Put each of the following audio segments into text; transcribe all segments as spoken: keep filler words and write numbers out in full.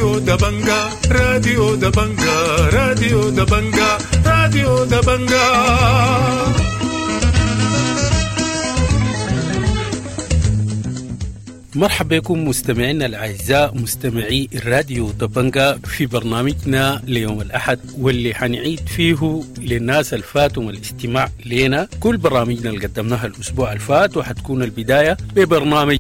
راديو دبنجا راديو دبنجا راديو دبنجا راديو دبنجا. مرحبا بكم مستمعينا الأعزاء مستمعي الراديو دبنجا في برنامجنا ليوم الأحد، واللي حنعيد فيه للناس الفاتهم الاستماع لنا كل برامجنا اللي قدمناها الأسبوع الفات، وحتكون البداية ببرنامج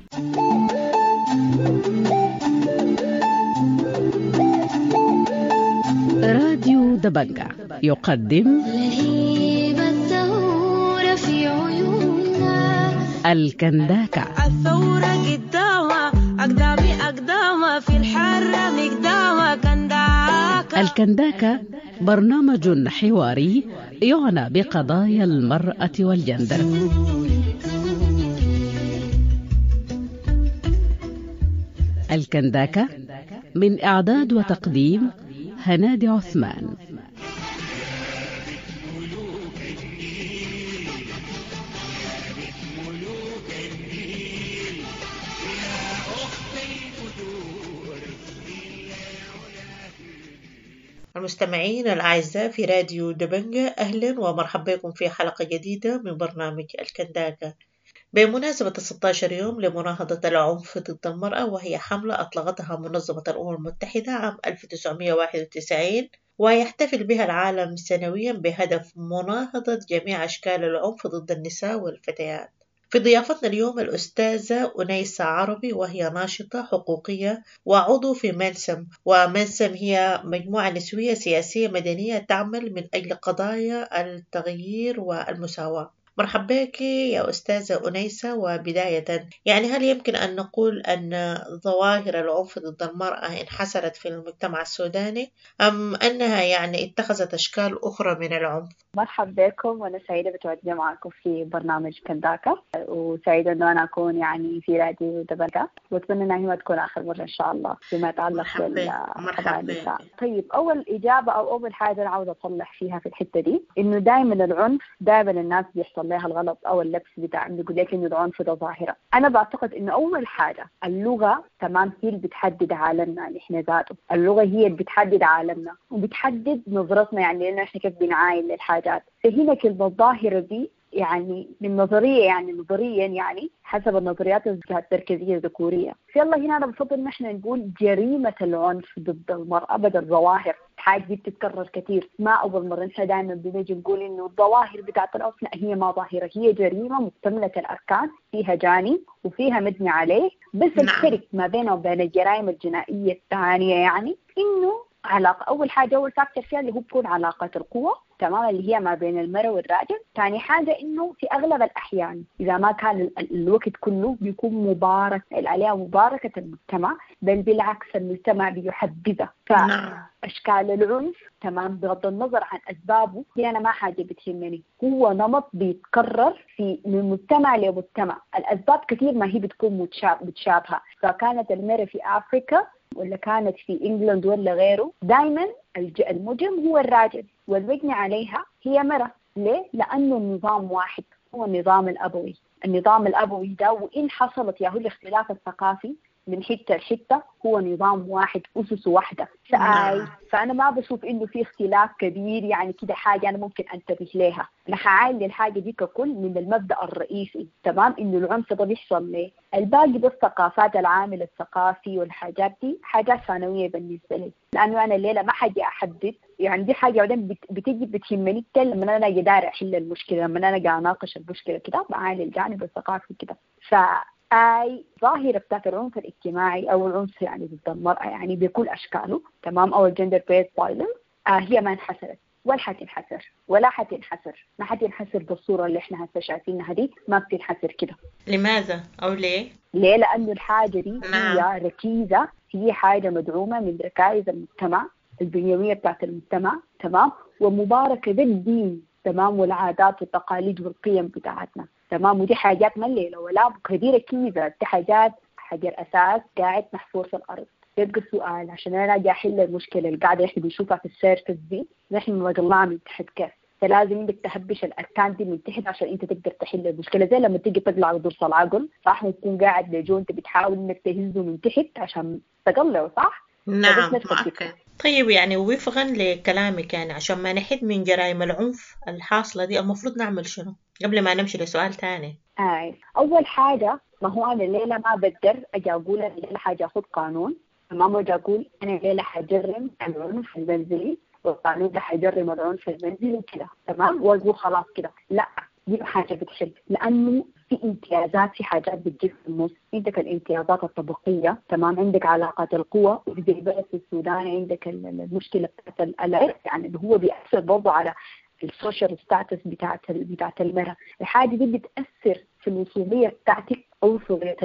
راديو دبنجا يقدم لهيب الثورة في عيوننا الكنداكة. الثورة قدامها أقدامي أقدامها في الحرة مقدامها كنداكة. الكنداكة برنامج حواري يعنى بقضايا المرأة والجندر. الكنداكة من إعداد وتقديم هنادي عثمان. المستمعين الأعزاء في راديو دبنجة، أهلا ومرحبا بكم في حلقة جديدة من برنامج الكنداكة. بمناسبة الستة عشر يوم لمناهضة العنف ضد المرأة، وهي حملة أطلقتها منظمة الأمم المتحدة عام ألف وتسعمائة وواحد وتسعين، ويحتفل بها العالم سنويا بهدف مناهضة جميع أشكال العنف ضد النساء والفتيات. في ضيافتنا اليوم الأستاذة أنيسة عربي، وهي ناشطة حقوقية وعضو في منسم، ومنسم هي مجموعة نسوية سياسية مدنية تعمل من أجل قضايا التغيير والمساواة. مرحبا بك يا أستاذة أنيسة. وبداية يعني هل يمكن أن نقول أن ظواهر العنف ضد المرأة انحسرت في المجتمع السوداني، أم أنها يعني اتخذت أشكال أخرى من العنف؟ مرحبا بكم، وأنا سعيدة بتواجدي معكم في برنامج كنداكة، وسعيدة أنه أنا أكون يعني في راديو دبنجا، وأتمنى أنها ما تكون آخر مرة إن شاء الله فيما يتعلق بالقضايا النساء. طيب، أول إجابة أو أول حاجة أنا عاوزة أصلح فيها في الحتة دي، إنه دائما العنف دائما الناس بيحصل لها الغلط أو اللبس بتاع بيقول لك إنه العنف ده ظاهرة. أنا بعتقد إنه أول حاجة اللغة، تمام، هي اللي بتحدد عالمنا نحن ذاته. اللغة هي اللي بتحدد عالمنا وبتحدد نظرتنا، يعني لأنه إحنا كيف بنعاين للحاجات. فهنا كلمة الظاهرة دي يعني من نظرية، يعني نظريا يعني حسب النظريات التركيزية الذكورية. فيلا هنا أنا بفضل إن إحنا نقول جريمة العنف ضد المرأة بدل ظواهر. الحاجة دي بتتكرر كثير، ما أول مرة نحن دائما بنيجي نقول إنه الظواهر بتاعت العنف، لا، هي ما ظاهرة، هي جريمة مكتملة الأركان، فيها جاني وفيها مبني عليه. بس الفرق ما بينه وبين الجرائم الجنائية الثانية يعني إنه علاقة، أول حاجة أول فاكتور فيها اللي هو بيكون علاقة القوة، تمام، اللي هي ما بين المرأة والراجل. ثاني حاجة إنه في أغلب الأحيان إذا ما كان الوقت كله بيكون مبارك عليها مباركة المجتمع، بل بالعكس المجتمع بيحبذها. فأشكال العنف، تمام، بغض النظر عن أسبابه، دي أنا ما حاجة بتهمني، هو نمط بيتكرر في من مجتمع لمجتمع. الأسباب كثير ما هي بتكون متشابهة، فكانت المرأة في أفريقيا ولا كانت في إنجلند ولا غيره، دايما المجرم هو الراجل والمجني عليها هي مرأة. ليه؟ لأنه النظام واحد، هو النظام الأبوي. النظام الأبوي ده وإن حصلت ياهو الاختلاف الثقافي من حتة لحتة، هو نظام واحد، أسس واحدة. فأي فأنا ما بشوف إنه في اختلاف كبير يعني كده حاجة أنا ممكن أنتبه لها. أنا حعاين للحاجة دي ككل من المبدأ الرئيسي، تمام، إنه العنف ده بيحصل ليه. الباقي بس ثقافات العامل الثقافي والحاجات دي حاجات ثانوية بالنسبة لي، لأنه أنا الليلة ما حاجة أحدد، يعني دي حاجة بعدين بتيجي بتهمني كتير لما أنا قادرة أحل المشكلة، لما أنا قاعدة أناقش المشكلة كده بعالج الجانب الثقافي كده. ف أي ظاهرة بتاعت العنف الاجتماعي أو العنف يعني ضد المرأة يعني بكل أشكاله، تمام، أو ال gender based violence، هي ما انحسرت ولا حتنحسر ولا حتنحسر، ما حتنحسر بالصورة اللي احنا هسه شايفينها دي، ما بتنحسر كده. لماذا أو ليه؟ ليه؟ لأنه الحاجة دي هي ركيزة، هي حاجة مدعومة من ركائز المجتمع، البنيوية بتاعت المجتمع، تمام، ومباركة بالدين، تمام، والعادات والتقاليد والقيم بتاعتنا، تمام. ودي حاجات ما الليلة ولا كبيرة كذا، دي حاجات حجر أساس قاعد محفور في الأرض. يبقى السؤال عشان أنا أجي أحل المشكلة اللي قاعدة إحنا بنشوفها في ال surface دي، نحن نطلعها من تحت كيف؟ فلازم انك تهبش الاركان دي من تحت عشان انت تقدر تحل المشكلة. زي لما تيجي تقلع ضرس العقل، صح، وتكون قاعد لجو انت بتحاول انك تهزه من تحت عشان تقلعه، صح؟ نعم نفس الفكرة. مؤكد. طيب يعني وفقا لكلامك يعني عشان ما نحد من جرائم العنف الحاصلة دي المفروض نعمل شنو قبل ما نمشي لسؤال تاني؟ آه. أول حاجة، ما هو أنا الليلة ما بقدر أجي أقول أنا الليلة حاجة أخذ قانون، تمام، وأجي أقول أنا الليلة حجرم العنف المنزلي والقانون ده حيجرم العنف المنزلي وكده، تمام، وأقول خلاص كده. لا، دي حاجة بتحل، لأنه في امتيازات، في حاجات بتجي في النص. عندك الامتيازات الطبقية، تمام، عندك علاقات القوى، وزي بلد في السودان عندك المشكلة بتاعت العرق، يعني اللي هو بيأثر برضه على ال social status بتاعت بتاعت المرأة. الحاجة دي بتأثر في الوصولية بتاعتك أو وصولية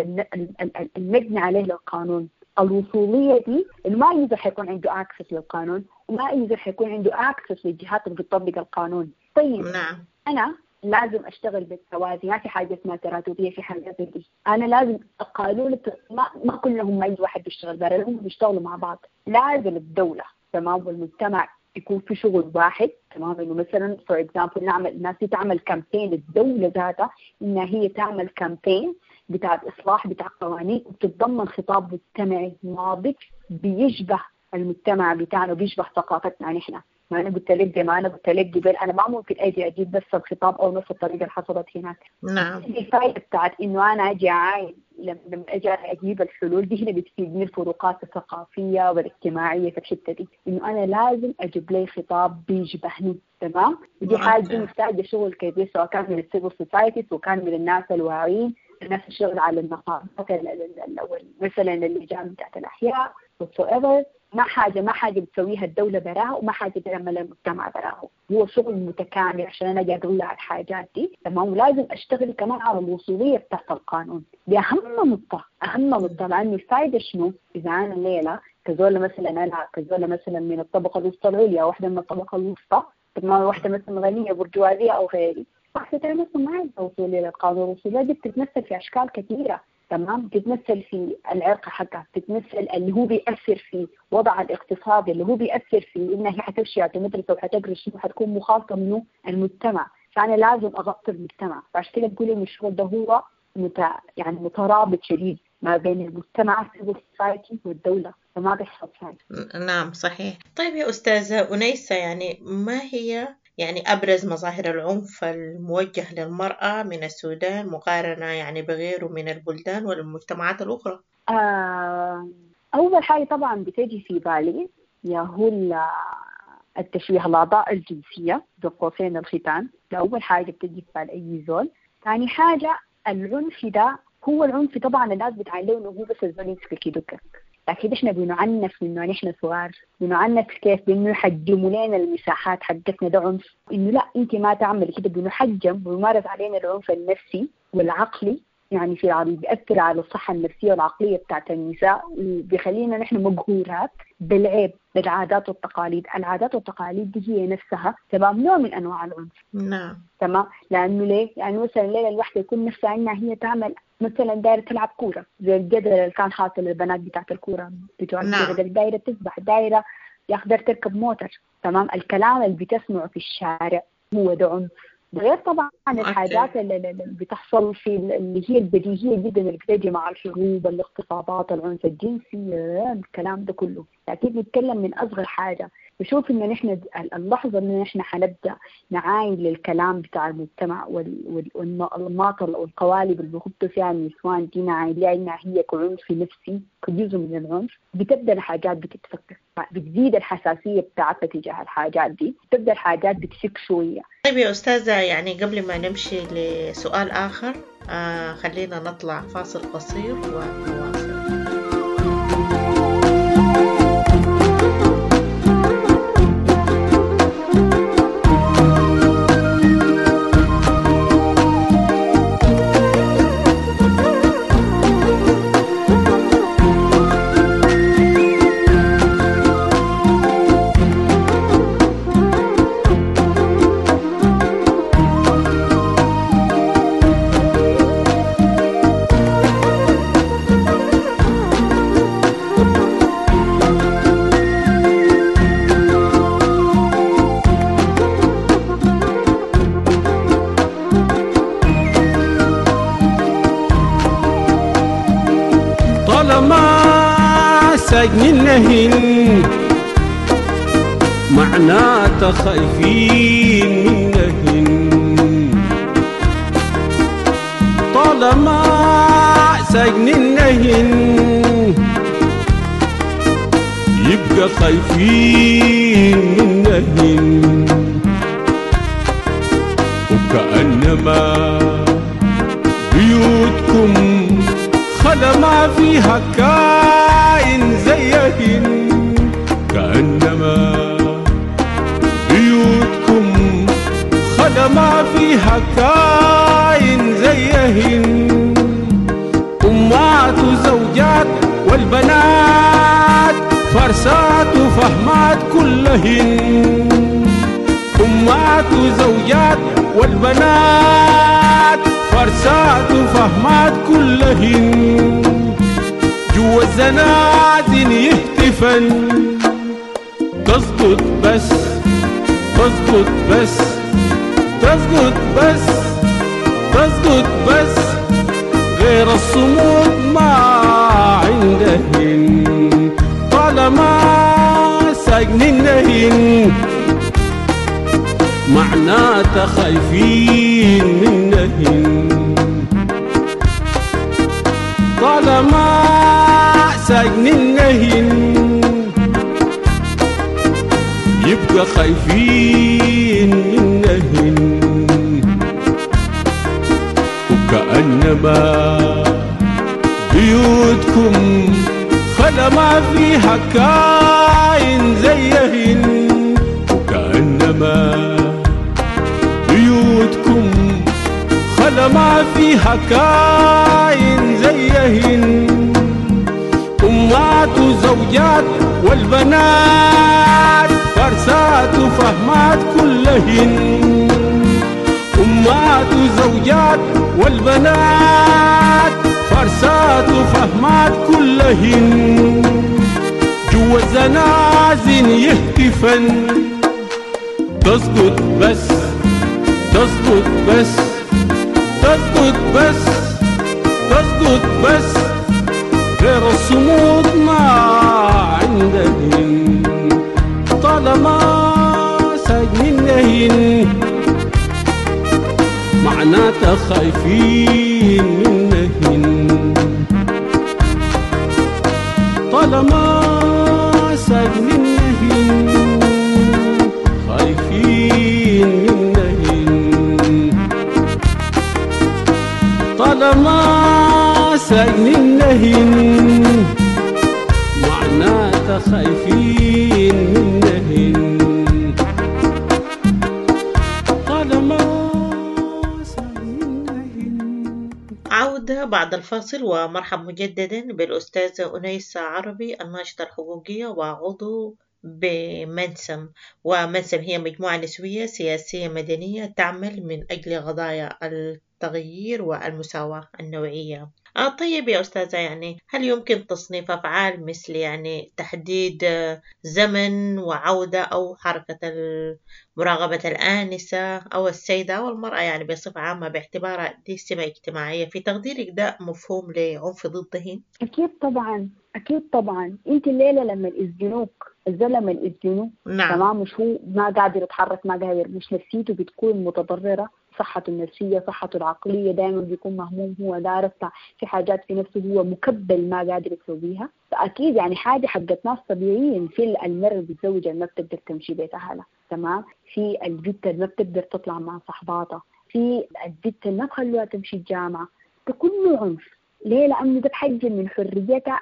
المبني عليه للقانون. الوصولية دي ما أي زول حيكون عنده access للقانون، وما أي زول حيكون عنده access للجهات اللي بتطبق القانون. طيب نعم. أنا لازم أشتغل بالتوازي، ما في حاجة اسمها تراتبية في حاجة زي دي. أنا لازم القانون ما, ما كلهم، ما أي واحد بيشتغل برا، هم بيشتغلوا مع بعض. لازم الدولة، تمام، والمجتمع يكون في شغل واحد، تمام. إنه مثلا for example نعمل، الناس دي تعمل campaign، الدولة ذاتها إنها هي تعمل campaign بتاع إصلاح بتاع قوانين وبتتضمن خطاب مجتمعي ناضج بيشبه المجتمع بتاعنا وبيشبه ثقافتنا نحن. ما أنا قلت لك زي ما أنا قلت لك قبل، أنا ما ممكن أجي أجيب بس الخطاب أو نفس الطريقة اللي حصلت هناك. نعم. الفائدة بتاعت إنه أنا أجي أعاين لما أجي أجيب الحلول دي هنا بتفيدني الفروقات الثقافية والاجتماعية في الحتة دي، إنه أنا لازم أجيب لي خطاب بيشبهني، تمام. ودي حاجة محتاجة شغل كبير، سواء كان من ال civil society، سواء كان من الناس الواعيين، الناس الشغل على النقابات مثلا اللجان بتاعت الأحياء whatsoever. ما حاجة ما حاجة بتسويها الدولة براها، وما حاجة بيعملها المجتمع براه، هو شغل متكامل عشان أنا أجي أطلع الحاجات دي، تمام. ولازم أشتغل كمان على الوصولية بتاعت القانون، دي أهم نقطة، أهم نقطة. لأنه الفائدة شنو؟ إذا أنا الليلة كزولة مثلا، أنا كزولة مثلا من الطبقة الوسطى العليا، واحدة من الطبقة الوسطى، تمام، واحدة مثلا غنية برجوازية أو غيري، واحدة تانية مثلا ما عندها وصولية للقانون. الوصولية دي بتتمثل في أشكال كثيرة، تمام، بتتمثل في العرق حقها، بتتمثل اللي هو بيأثر في وضع الاقتصادي، اللي هو بيأثر في إنها هي حتمشي على مدرسة وحتقرا شنو، حتكون مخالطة منه المجتمع. فأنا لازم أغطي المجتمع، فعشان كده بقول إن الشغل ده هو مت... يعني مترابط شديد ما بين المجتمع ال civil society والدولة، فما بيحصل حاجة. نعم صحيح. طيب يا أستاذة أنيسة، يعني ما هي يعني أبرز مظاهر العنف الموجه للمرأة من السودان مقارنة يعني بغيره من البلدان والمجتمعات الأخرى؟ آه، أول حاجة طبعا بتجي في بالي يا هو التشويه الأعضاء الجنسية بقوسين الختان، ده أول حاجة بتجي في بال أي زول. ثاني حاجة العنف ده، هو العنف طبعا الناس بتعلمه إنه هو بس الزول يمسكك يدكك، لكن احنا بنعنف منه نحن صغار. بنعنف كيف؟ بانه يحجموا لنا المساحات حقتنا، ده عنف. انه لا انت ما تعملي كده، بنحجم ويمارس علينا العنف النفسي والعقلي، يعني في العربي بيأثر على الصحة النفسية والعقلية بتاعت النساء، وبيخلينا نحن مقهورات بالعيب بالعادات والتقاليد. العادات والتقاليد دي هي نفسها تمام نوع من أنواع العنف. نعم تمام. لأنه ليه؟ يعني مثلا ليلة الواحدة يكون نفسها إنها هي تعمل مثلا دايرة تلعب كورة زي الجدل اللي كان حاصل للبنات بتاعت الكورة بتوع الكورة، نعم. دايرة تسبح، دايرة يقدر تركب موتر، تمام. الكلام اللي بتسمعه في الشارع هو ده عنف. غير طبعا الحاجات اللي بتحصل في اللي هي البديهية جدا اللي بتجي مع الحروب، الاغتصابات، العنف الجنسي، الكلام ده كله. لكن نتكلم من أصغر حاجة. بشوف إن نحن اللحظة إن نحن حنبدأ نعاين للكلام بتاع المجتمع والنمط والقوالب اللي بيحطوا فيها النسوان دي، نعاين لها إنها هي كعنف نفسي كجزء من العنف، بتبدأ الحاجات بتتفكر، بتزيد الحساسية بتاعتها تجاه الحاجات دي، بتبدأ الحاجات بتفك شوية. طيب يا أستاذة، يعني قبل ما نمشي لسؤال آخر آه خلينا نطلع فاصل قصير ونواصل. Thank you. ساجنينهن معناته خايفين منهن. طالما ساجنينهن يبقى خايفين منهن. وكأنما بيوتكم خلا ما فيها كائن زيهن، كأنما بيوتكم خلا ما فيها كائن زيهن. أمات وزوجات والبنات فرسات وفهمات كلهن، أمات وزوجات والبنات فرسات وفهمات كلهن. جوا الزنازن يهتفن تسقط بس تسقط بس تسقط بس تسقط بس، غير الصمود ما عندهن. طالما ساجنينهن معناته خايفين منهن. طالما ساجنينهن يبقى خايفين منهن. وكأنما بيوتكم خلا ما فيها كائن زيهن، وكأنما بيوتكم خلا ما فيها كائن زيهن. أمات وزوجات والبنات فرسات وفهمات كلهن، أمات وزوجات والبنات فرسات وفهمات كلهن. جوا الزنازن يهتفن تسقط بس تسقط بس تسقط بس تسقط بس، غير الصمود ما عندهن. طالما ساجنينهن معناته خايفين منهن. طالما ساجنينهن خايفين منهن. طالما ساجنينهن معناته خايفين منهن. طالما ساجنينهن. عودة بعد الفاصل، ومرحب مجددا بالأستاذة أنيسة عربي الناشطة الحقوقية وعضو بمنسم. ومنسم هي مجموعة نسوية سياسية مدنية تعمل من أجل قضايا التغيير والمساواة النوعية. آه طيب يا أستاذة، يعني هل يمكن تصنيف أفعال مثل يعني تحديد زمن وعودة أو حركة مراقبة الآنسة أو السيدة أو المرأة يعني بصفة عامة باعتبارها دي سمة اجتماعية، في تقديرك ده مفهوم لعنف ضدهن؟ أكيد طبعا، أكيد طبعا. أنت الليلة لما يسجنوك، الزلمة اللي يسجنوه، نعم، تمام، مش هو ما قادر يتحرك، ما قادر، مش نفسيته بتكون متضررة، صحته النفسية، صحته العقلية، دائما بيكون مهموم، هو دارس في حاجات في نفسه هو مكبل ما قادر يسويها. فأكيد يعني حاجة حقت ناس طبيعيين. في المرأة المتزوجة ما بتقدر تمشي بيت أهلها، تمام، في البنت اللي ما بتقدر تطلع مع صحباتها، في البنت اللي ما بخلوها تمشي الجامعة، ده كله عنف. ليه؟ لأنه ده بحجم من حريتها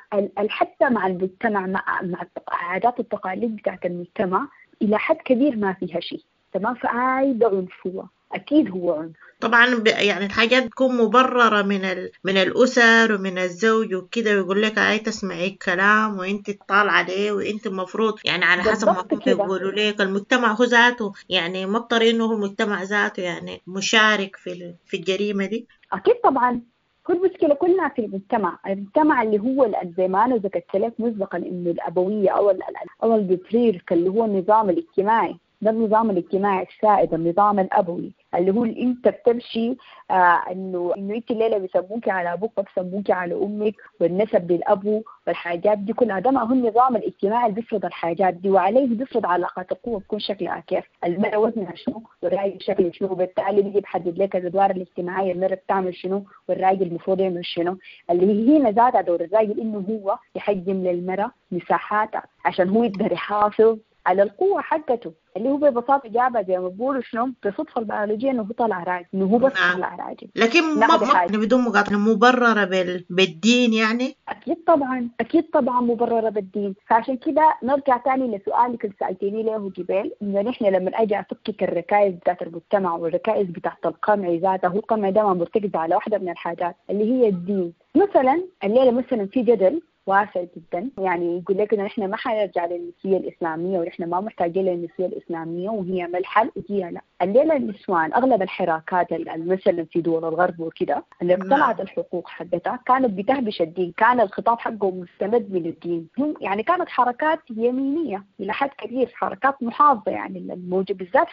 حتى مع المجتمع، مع مع العادات والتقاليد بتاعت المجتمع إلى حد كبير ما فيها شيء، تمام. فهاي ده عنف، هو أكيد هو عنف طبعا. يعني الحاجات تكون مبررة من ال... من الأسر ومن الزوج وكده، ويقول لك هاي تسمعي الكلام وانت طالعة عليه وانت المفروض يعني على حسب ما يقولوا لك. المجتمع هو ذاته يعني مضطر انه هو المجتمع ذاته يعني مشارك في ال... في الجريمة دي. أكيد طبعا، كل مشكلة كلها في المجتمع، المجتمع اللي هو زي ما أنا ذكرت لك مسبقا إنه الأبوية أو ال أو ال patriarch اللي هو النظام الاجتماعي ده النظام الاجتماعي السائد، النظام الأبوي اللي هو اللي انت بتمشي آه انه انه انت الليلة بيسموكي على ابوك ما بيسموكي على امك، والنسب للابو والحاجات دي كلها. ده ما هو النظام الاجتماعي اللي بيفرض الحاجات دي، وعليه بيفرض علاقات القوة بتكون شكلها كيف، المرأة وزنها شنو والراجل شكله شنو، وبالتالي بيجي بيحدد لك الادوار الاجتماعية، المرأة بتعمل شنو والراجل المفروض يعمل شنو. اللي هي هنا ذاتها دور الراجل انه هو يحجم للمرأة مساحاتها عشان هو يقدر يحافظ على القوة حقته، اللي هو ببساطة جابها زي ما بيقولوا شنو بصدفة البيولوجية إنه هو طلع راجل، إنه هو بس نعم. طلع راجل. لكن لا، ما دي حاجة. ما بدون مقاطعة مبررة بال... بالدين يعني. أكيد طبعا، أكيد طبعا مبررة بالدين. فعشان كده نرجع تاني لسؤالك اللي سألتيني له قبل، إنه نحن لما أجي أفكك الركائز بتاعت المجتمع والركائز بتاعت القمع ذاته، هو القمع ده ما مرتكز على واحدة من الحاجات اللي هي الدين. مثلا الليلة مثلا في جدل واسع جدا، يعني يقول لك انه احنا ما حنرجع للنسويه الاسلامية ونحن ما محتاجين للنسويه الاسلامية وهي ما الحل وهي لا. الليلة النسوان اغلب الحراكات مثلا في دول الغرب وكده اللي اقتلعت الحقوق حقتها كانت بتهبش الدين، كان الخطاب حقهم مستمد من الدين، هم يعني كانت حركات يمينية الى حد كبير، حركات محافظة يعني الموجة بالذات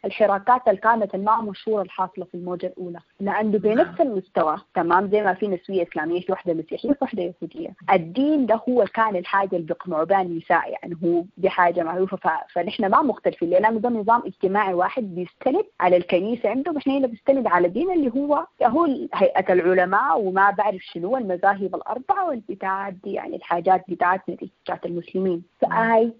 الحراكات اللي كانت الما مشهورة الحاصلة في الموجه الاولى، لانه بنفس المستوى تمام زي ما في نسويه اسلامية في واحدة مسيحية في واحدة يهودية. الدين ده هو كان الحاجة اللي بيقمعوا بها النساء، يعني هو دي حاجة معروفة. ف... فنحن ما مختلفين لأنه ده نظام اجتماعي واحد بيستند على الكنيسة عندهم، احنا هنا بيستند على دين اللي هو هو هيئة العلماء وما بعرف شنو المذاهب الأربعة والبتاعات دي، يعني الحاجات بتاعتنا دي بتاعت المسلمين. فهاي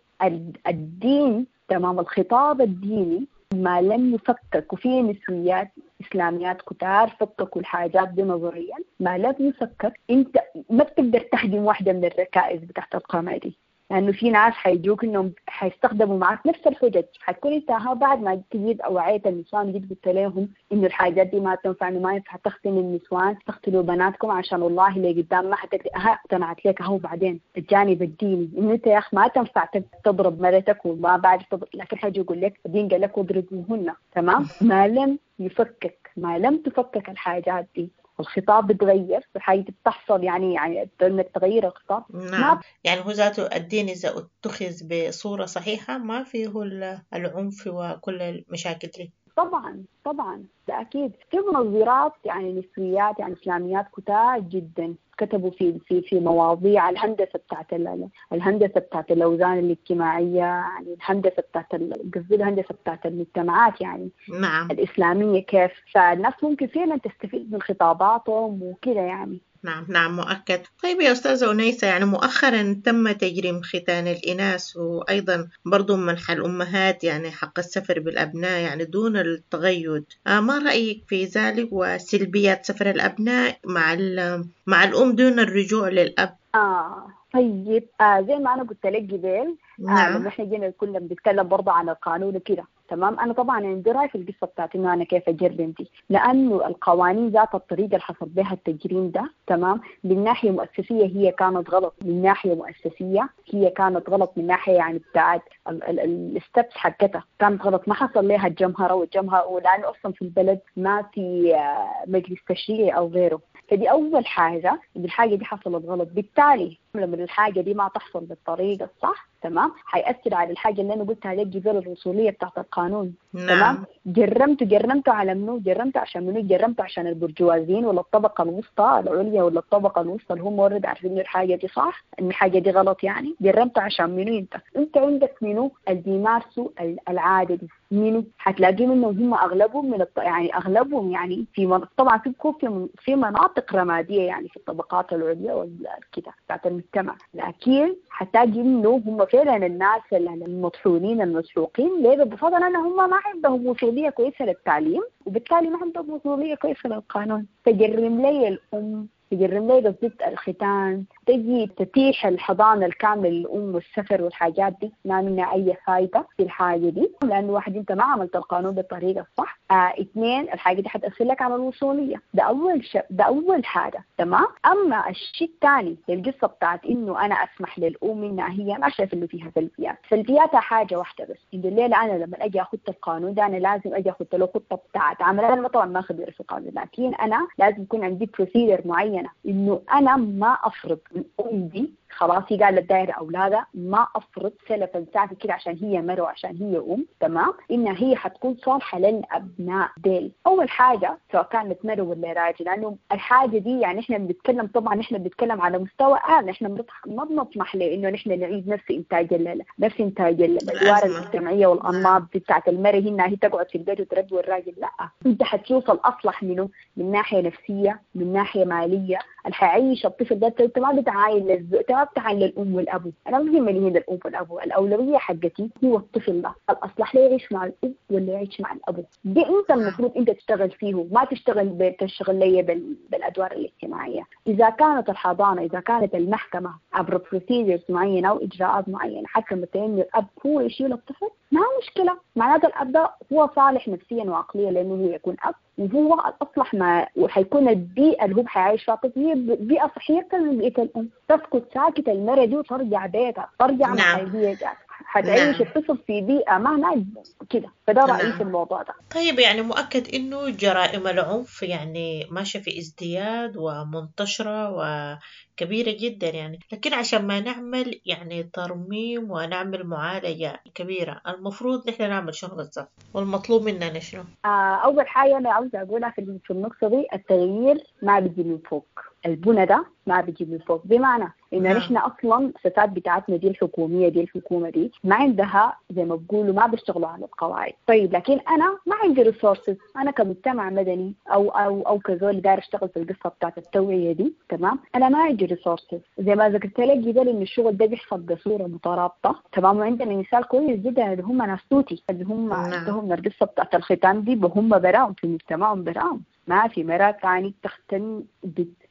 الدين تمام، الخطاب الديني ما لم يفكك، وفي نسويات إسلاميات كتار فككوا الحاجات دي نظريا، ما لم يفكك أنت ما بتقدر تهدم واحدة من الركائز بتاعت القامة دي، لأنه في ناس حيجوك إنهم حيستخدموا معك نفس الحجج، حتكون أنت ها بعد ما تجيب أوعية النسوان جيت قلت لهم إنه الحاجات دي ما تنفع، إنه ما ينفع تختنوا النسوان، تختنوا بناتكم عشان والله اللي قدام ما حتقدر، ها اقتنعت لك أهو. بعدين الجانب الديني إنه أنت يا أخ ما تنفع تضرب مرتك وما بعد تضرب، لكن حاجة يقول لك الدين قال لك واضربوهن تمام. ما لم يفكك، ما لم تفكك الحاجات دي الخطاب بتغير والحاجة بتحصل، يعني يعني انك تغير الخطاب. نعم، يعني هو ذاته الدين إذا اتخذ بصورة صحيحة ما فيه العنف وكل المشاكل دي. طبعا طبعا ده أكيد. في منظرات يعني نسويات يعني إسلاميات كتار جدا كتبوا في في في مواضيع الهندسة بتاعت الهندسة بتاعت الاوزان الاجتماعية، يعني الهندسة بتاعت قصدي الهندسة بتاعت المجتمعات يعني. نعم. الاسلامية كيف، فالناس ممكن فعلا تستفيد من خطاباتهم وكذا يعني. نعم نعم مؤكد. طيب يا أستاذة أنيسة، يعني مؤخرا تم تجريم ختان الإناث وأيضا برضو منح الأمهات يعني حق السفر بالأبناء يعني دون التغيد، ما رأيك في ذلك وسلبيات سفر الأبناء مع مع الأم دون الرجوع للأب؟ آه طيب آه زي ما أنا قلت لك قبل، نعم. آه لما إحنا جينا كنا بنتكلم برضه عن القانون وكده تمام. أنا طبعا عندي رأي في القصة بتاعت إنه أنا كيف أجرم دي، لأنه القوانين ذات الطريقة اللي حصل بها التجريم ده تمام من ناحية مؤسسية هي كانت غلط، من ناحية مؤسسية هي كانت غلط، من ناحية يعني بتاعت ال steps حقتها كانت غلط، ما حصل لها الجمهرة والجمهرة، ولأنه أصلا في البلد ما في مجلس تشريعي أو غيره. فدي أول حاجة، إن الحاجة دي حصلت غلط، بالتالي لما الحاجة دي ما تحصل بالطريقة الصح تمام حيأثر على الحاجة اللي أنا قلتها لك قبل، الوصولية بتاعت القانون. نعم. تمام. جرمته جرمته على منو؟ جرمته عشان منو؟ جرمته عشان البرجوازيين ولا الطبقة الوسطى العليا ولا الطبقة الوسطى اللي هم already عارفين إن الحاجة دي صح إن الحاجة دي غلط يعني. جرمته عشان منو؟ أنت أنت عندك منو اللي بيمارسوا العادة دي؟ منو حتلاقي منهم؟ هم أغلبهم من الط... يعني أغلبهم يعني في من... طبعا في بكون في في مناطق رمادية يعني في الطبقات العليا وكده بتاعت المجتمع، لكن حتلاقي إنه هم فعلا الناس المطحونين المسروقين. ليه؟ ببساطة لأن هم ما عندهم وصولية كويسة للتعليم، وبالتالي ما عندهم وصولية كويسة للقانون. تجرم لي الأم، تجرم لي قصدي الختان، تجي تتيح الحضانة الكاملة للأم والسفر والحاجات دي ما منها أي فايدة في الحاجة دي، لأنه واحد أنت ما عملت القانون بالطريقة الصح. آه، اثنين الحاجة دي حتأثر لك على الوصولية، ده أول شيء، ده أول حاجة تمام. أما الشيء الثاني القصة بتاعت إنه أنا أسمح للأم إنها هي ما شايف إنه فيها سلبيات، سلبياتها حاجة واحدة بس، إنه الليلة أنا لما أجي أخط القانون ده أنا لازم أجي أخط له خطة بتاعت عمل. أنا طبعا ما خبيرة في القانون، لكن أنا لازم يكون عندي procedure معينة إنه أنا ما أفرض الأم دي خلاص هي قالت دايرة أولادها، ما أفرض سلفا ساكت كده عشان هي مرة وعشان هي أم، تمام، إنها هي حتكون صالحة للأبناء ديل. أول حاجة سواء كانت مرة ولا راجل، لأنه الحاجة دي يعني إحنا بنتكلم طبعا إحنا بنتكلم على مستوى أعلى، إحنا ما بنطمح لإنه نحن نعيد نفس إنتاج ال نفس إنتاج الأدوار المجتمعية والأنماط بتاعت المرة، إنها هي تقعد في البيت وتربي والراجل لا. أنت حتشوف الأصلح منه من ناحية نفسية، من ناحية مالية، الحيعيش الطفل ده. أنت ما بتعاين للزوج، أنت ما بتعاين للأم والأبو. أنا ما يهمني هنا الأم والأبو، الأولوية حقتي هو الطفل ده، الأصلح ليه يعيش مع الأم ولا يعيش مع الأبو. دي أنت المفروض أنت تشتغل فيه، ما تشتغل تشتغل لي بالأدوار الاجتماعية. إذا كانت الحضانة، إذا كانت المحكمة عبر procedures معينة أو إجراءات معينة حكمت إنه الأب هو يشيل الطفل، ما مشكلة، معناته الأب ده هو صالح نفسيا وعقليا لأنه هو يكون أب، وهو الأصلح ما وحيكون البيئة اللي هو حيعيش فيها الطفل هي بيئة صحية أكثر من بيئة الأم. تسكت ساكت المرة دي وترجع بيتها، ترجع مع هي جات، حتعيش الطفل في بيئة ما كده. فده رأيي في الموضوع ده. طيب يعني مؤكد إنه جرائم العنف يعني ماشية في ازدياد ومنتشرة وكبيرة جدا يعني، لكن عشان ما نعمل يعني ترميم ونعمل معالجة كبيرة المفروض نحن نعمل شنو بالضبط والمطلوب مننا شنو؟ آه أول حاجة أنا عاوزة أقولها في النقطة دي، التغيير ما بيجي من فوق، البنى ده ما بيجي من فوق، بمعنى إن نحن أصلاً المؤسسات بتاعتنا دي الحكومية دي الحكومة دي ما عندها زي ما بقولوا ما بيشتغلوا على القواعد. طيب لكن أنا ما عندي resources، أنا كمجتمع مدني أو أو أو كزول داير أشتغل في القصة بتاعت التوعية دي، تمام، أنا ما عندي resources. زي ما ذكرت لك قبل إن الشغل ده بيحصل بصورة مترابطة، تمام، وعندنا مثال كويس جدا اللي هم ناس توتي اللي هم عندهم القصة بتاعت الختان دي، وهم براهم في مجتمعهم براهم، ما في مرات ثاني تختن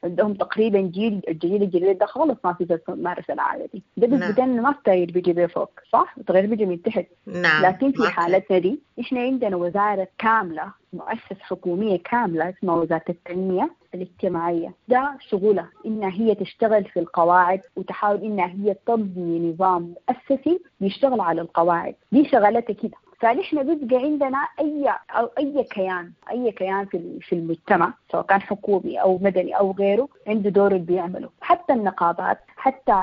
عندهم تقريبا جيل الجيل الجديد ده خالص ما في مارس العادة دي. ده بيثبت انه ما في تغيير بيجي فوق، صح؟ التغيير بيجي من تحت. نعم. لكن في حالتنا دي احنا عندنا وزارة كاملة، مؤسسة حكومية كاملة اسمها وزارة التنمية الاجتماعية، ده شغلها إنها هي تشتغل في القواعد وتحاول إنها هي تبني نظام مؤسسي يشتغل على القواعد دي، شغلتها كده. فنحن بيبقى عندنا أي أو أي كيان، أي كيان في في المجتمع سواء كان حكومي أو مدني أو غيره عنده دور اللي بيعمله، حتى النقابات، حتى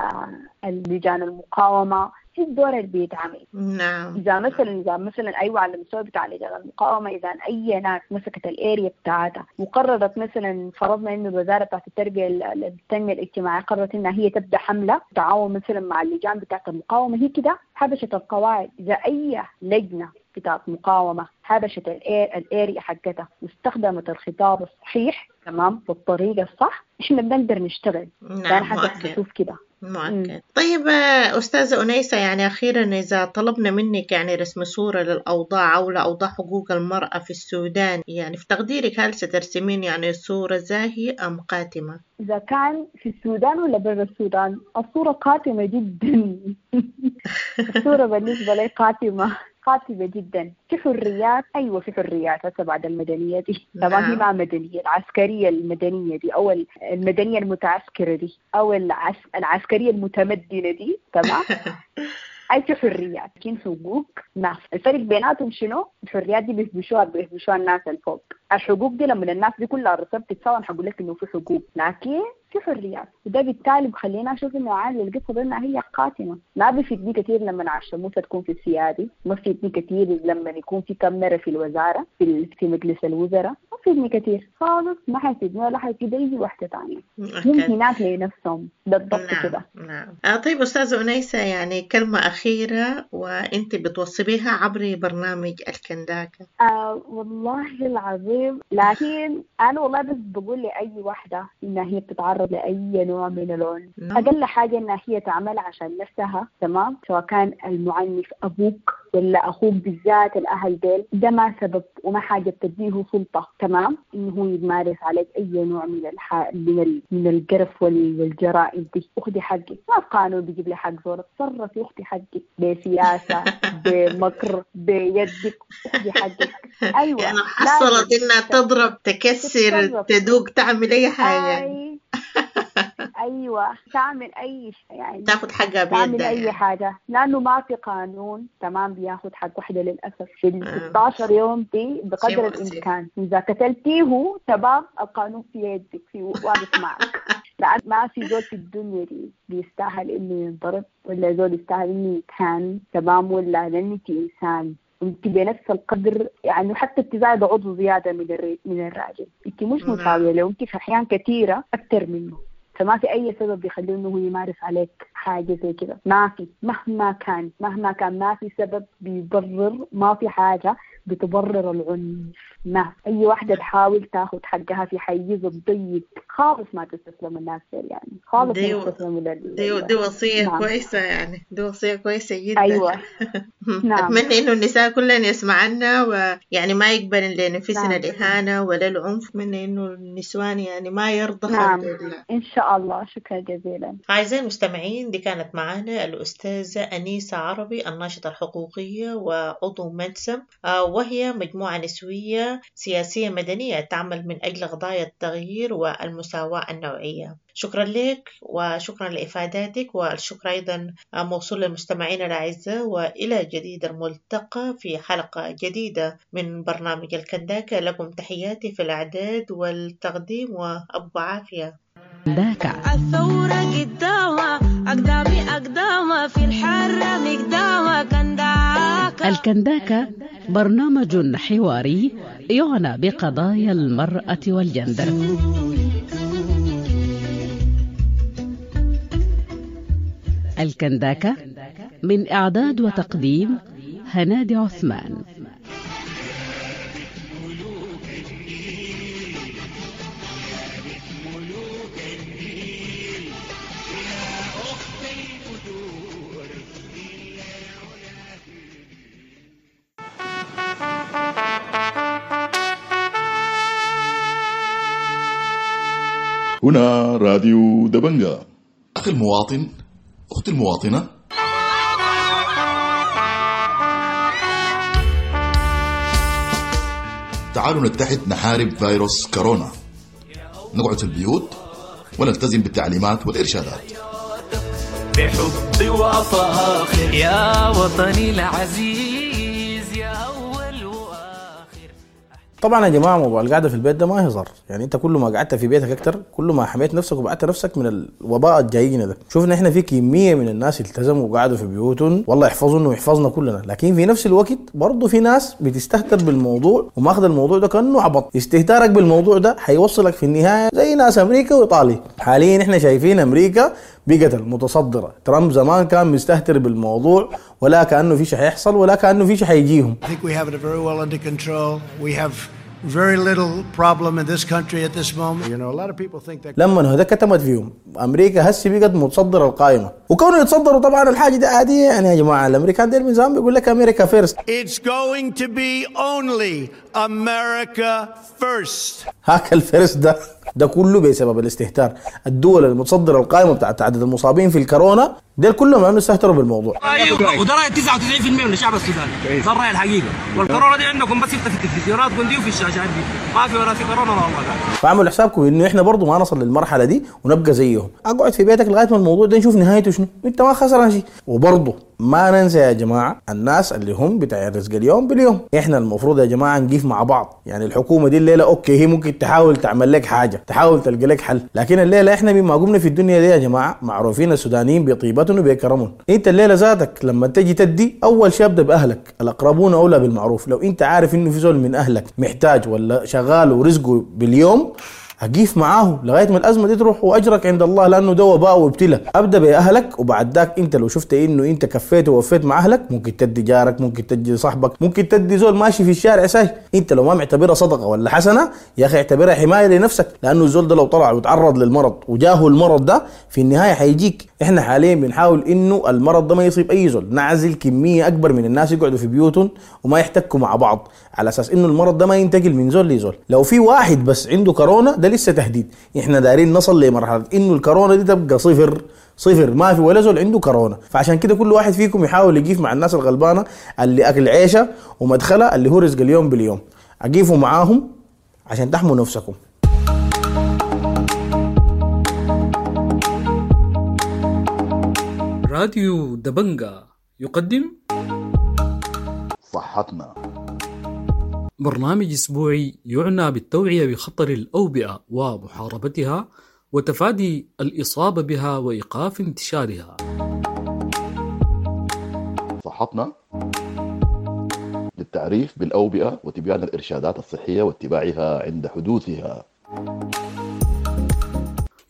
اللجان المقاومة في الدور اللي بيتعمل. نعم. إذا مثلا إذا مثلا أيوة على المستوى بتاع لجان المقاومة، إذا أي ناس مسكت الأريا بتاعتها وقررت مثلا، فرضنا إنه الوزارة بتاعت التربية التنمية الاجتماعية قررت إنها هي تبدأ حملة تعاون مثلا مع اللجان بتاعت المقاومة، هي كده حبشت القواعد. إذا أي لجنة بتاعت مقاومة حبشت الاريا حقتها واستخدمت الخطاب الصحيح، تمام، بالطريقة الصح، إحنا بنقدر نشتغل. نعم. أنا بشوف كده. مؤكد. طيب أستاذة أنيسة، يعني أخيرا إذا طلبنا منك يعني رسم صورة للأوضاع أو لأوضاع حقوق المرأة في السودان، يعني في تقديرك هل سترسمين يعني صورة زاهية أم قاتمة؟ إذا كان في السودان ولا برا السودان، الصورة قاتمة جدا. الصورة بالنسبة لي قاتمة، قاتمة جدا. في حريات، أيوة في حريات هسه بعد المدنية دي، طبعا هي ما مدنية، العسكرية المدنية دي أو المدنية المتعسكرة دي أو العس... العسكرية المتمدنة دي، تمام. أي في حريات لكن حقوق ما. الفرق بيناتهم شنو؟ الحريات دي بيهبشوها بيهبشوها الناس الفوق، الحقوق دي لما الناس دي كلها الرسم تتساوى حقول لك إنه في حقوق، لكن في حريات. وده بالتالي بخلينا أشوف إنه عادي القصة بأنها هي قاتمة. ما بيفيدني كثير لما عشموسة تكون في السيادة، ما بيفيدني كثير لما يكون في كم مرة في الوزارة في في مجلس الوزراء، ما بيفيدني كثير خالص، ما حيفيدني ولا حيفيد أي واحدة ثانية. هم هناك لنفسهم بالضبط. نعم. كده. نعم. آه طيب أستاذة أنيسة، يعني كلمة أخيرة وأنت بتوصي بها عبر برنامج الكنداكة. آه والله العظيم، لكن أنا والله بس بقول لأي واحدة إنها هي بتتعرض لأي نوع من العنف، أقل حاجة إنها هي تعمل عشان نفسها، تمام، سواء كان المعنف أبوك ولا أخوك، بالذات الأهل ديل، ده ما سبب وما حاجة بتديه سلطة، تمام، إنه هو يمارس عليك أي نوع من الح... من ال... من القرف وال... والجرائم دي. أخذي حقك، ما في قانون بيجيب لي حق زول، تصرفي أخذي حقك بسياسة بمكر بيدك، أخذي حقك. أيوة. يعني حصلت إنها تضرب، تكسر، تدوق، تعمل أي حاجة. أي. ايوه تعمل اي شيء يعني، تاخذ حقها تعمل بيدها اي يعني. حاجة، لانه ما في قانون تمام بياخذ حق وحده للاسف في ال آه. ستاشر يوم دي بقدر شيء مؤسف. الامكان. اذا قتلتيه تمام القانون في يدك، في واقف معك، لأن ما في زول في الدنيا دي بيستاهل انه ينضرب ولا زول يستاهل انه يتهان تمام، ولا لان انت انسان انت بنفس القدر يعني، حتى انت زايدة عضو زيادة من الر- من الراجل، انت مش نعم. مساوية له، انت في احيان كثيرة اكثر منه، فما في اي سبب بيخليه انه هو يمارس عليك حاجة زي كده، ما في، مهما كان مهما كان ما في سبب بيبرر، ما في حاجة بتبرر العنف. ما اي واحدة تحاول تاخذ حقها في حيز الضيق خالص، ما تستسلم الناس يعني خالص دي ما تستسلموا لل دي دي وصية نعم. كويسة يعني، دي وصية كويسة جدا. ايوه نعم. أتمنى إنه النساء كلن يسمعنا، ويعني ما يقبلن لنفسنا نعم. الإهانة ولا العنف. أتمنى إنه النسوان يعني ما يرضخن نعم. لل- ان شاء الله. شكرا جزيلا. أعزائي المستمعين، دي كانت معانا الأستاذة أنيسة عربي، الناشطة الحقوقية وعضو منسم، آه، وهي مجموعة نسوية سياسية مدنية تعمل من أجل قضايا التغيير والمساواة النوعية. شكرا لك وشكرا لإفاداتك، والشكر أيضا موصول للمستمعين الأعزاء، وإلى جديد الملتقى في حلقة جديدة من برنامج الكنداكة. لكم تحياتي في الإعداد والتقديم، وأبو عافية. كنداكا. الثورة قدامة أقدامي أقدامة في الحرة مقدامة كنداكا. الكنداكا برنامج حواري يعنى بقضايا المرأة والجندر. الكنداكا من إعداد وتقديم هنادي عثمان. هنا راديو دبنجا. أخي المواطن، أختي المواطنة، تعالوا نتحد نحارب فيروس كورونا، نقعد في البيوت ونلتزم بالتعليمات والإرشادات. بحبي وأفاخر يا وطني العزيز يا أول وآخر. طبعا يا جماعة موضوع القعدة في البيت ده ما هزار، يعني انت كل ما قعدت في بيتك اكتر كل ما حميت نفسك وبعدت نفسك من الوباء الجايين ده. شفنا احنا في كمية من الناس التزموا وقعدوا في بيوتهم، والله يحفظهم ويحفظنا كلنا، لكن في نفس الوقت برضه في ناس بتستهتر بالموضوع وماخذ الموضوع ده كانه عبط. استهتارك بالموضوع ده حيوصلك في النهاية زي ناس امريكا وايطاليا. حاليا احنا شايفين امريكا بقت المتصدره، ترامب زمان كان مستهتر بالموضوع ولا كانه في شيء حيحصل ولا كانه في شيء حيجيهم. I think we have it very well under control. We have very little problem in this country at this moment. You know, a lot of people think that لما هذا كتمت فيهم امريكا هسه بقت متصدره القائمة، وكونه يتصدروا طبعا الحاجة دي عادية يعني يا جماعة. الامريكان ديل من زمان بيقول لك America first. it's going to be only America first. هاك ال first ده ده كله بسبب الاستهتار. الدول المتصدره القائمة بتاعت عدد المصابين في الكورونا ديل كلهم لانه استهتروا بالموضوع. ايوه، وده راي تسعة وتسعين بالمئة من الشعب السوداني، ده الراي الحقيقي. والكورونا دي عندكم بس انت في التلفزيونات دي وفي الشاشات دي، ما في ولا في كورونا ولا الله قال. فاعملوا حسابكم انه احنا برضه ما نصل للمرحلة دي ونبقى زيهم. اقعد في بيتك لغاية ما الموضوع ده نشوف نهايته شنو، انت ما خسران شيء. وبرضه ما ننسى يا جماعة الناس اللي هم بتاع رزق اليوم باليوم، احنا المفروض يا جماعة نقيف مع بعض. يعني الحكومة دي الليلة okay هي ممكن تحاول تعمل لك حاجة، تحاول تلقى لك حل، لكن الليلة احنا بما قمنا في الدنيا دي يا جماعة معروفين السودانيين بطيبتهم وبكرمهم. انت الليلة ذاتك لما تجي تدي اول شيء ابدا باهلك، الاقربون اولى بالمعروف. لو انت عارف انه في زول من اهلك محتاج ولا شغال ورزقه باليوم، اقيف معاه لغاية ما الازمة دي تروح واجرك عند الله، لانه ده وباء وابتلاء. ابدا باهلك، وبعد ذاك انت لو شفت انه انت كفيت ووفيت مع اهلك ممكن تدي جارك، ممكن تدي صاحبك، ممكن تدي زول ماشي في الشارع ساي. انت لو ما معتبرها صدقه ولا حسنه يا اخي اعتبرها حماية لنفسك، لانه الزول ده لو طلع وتعرض للمرض وجاهه المرض ده في النهاية حيجيك. احنا حاليا بنحاول انه المرض ده ما يصيب اي زول، نعزل كمية اكبر من الناس يقعدوا في بيوتهم وما يحتكوا مع بعض، على اساس انه المرض ده ما ينتقل من زول لزول. لو في واحد بس عنده كورونا ده لسه تهديد. احنا دارين نصل لمرحلة انه الكورونا دي تبقى صفر صفر، ما في ولا زول عنده كورونا. فعشان كده كل واحد فيكم يحاول يقيف مع الناس الغلبانه اللي اكل عيشه ومدخله اللي هو رزق اليوم باليوم، اقيفوا معاهم عشان تحموا نفسكم. راديو دبنجا يقدم صحتنا، برنامج أسبوعي يعنى بالتوعية بخطر الأوبئة ومحاربتها وتفادي الإصابة بها وإيقاف انتشارها. صحتنا للتعريف بالأوبئة وتبيان الإرشادات الصحية واتباعها عند حدوثها.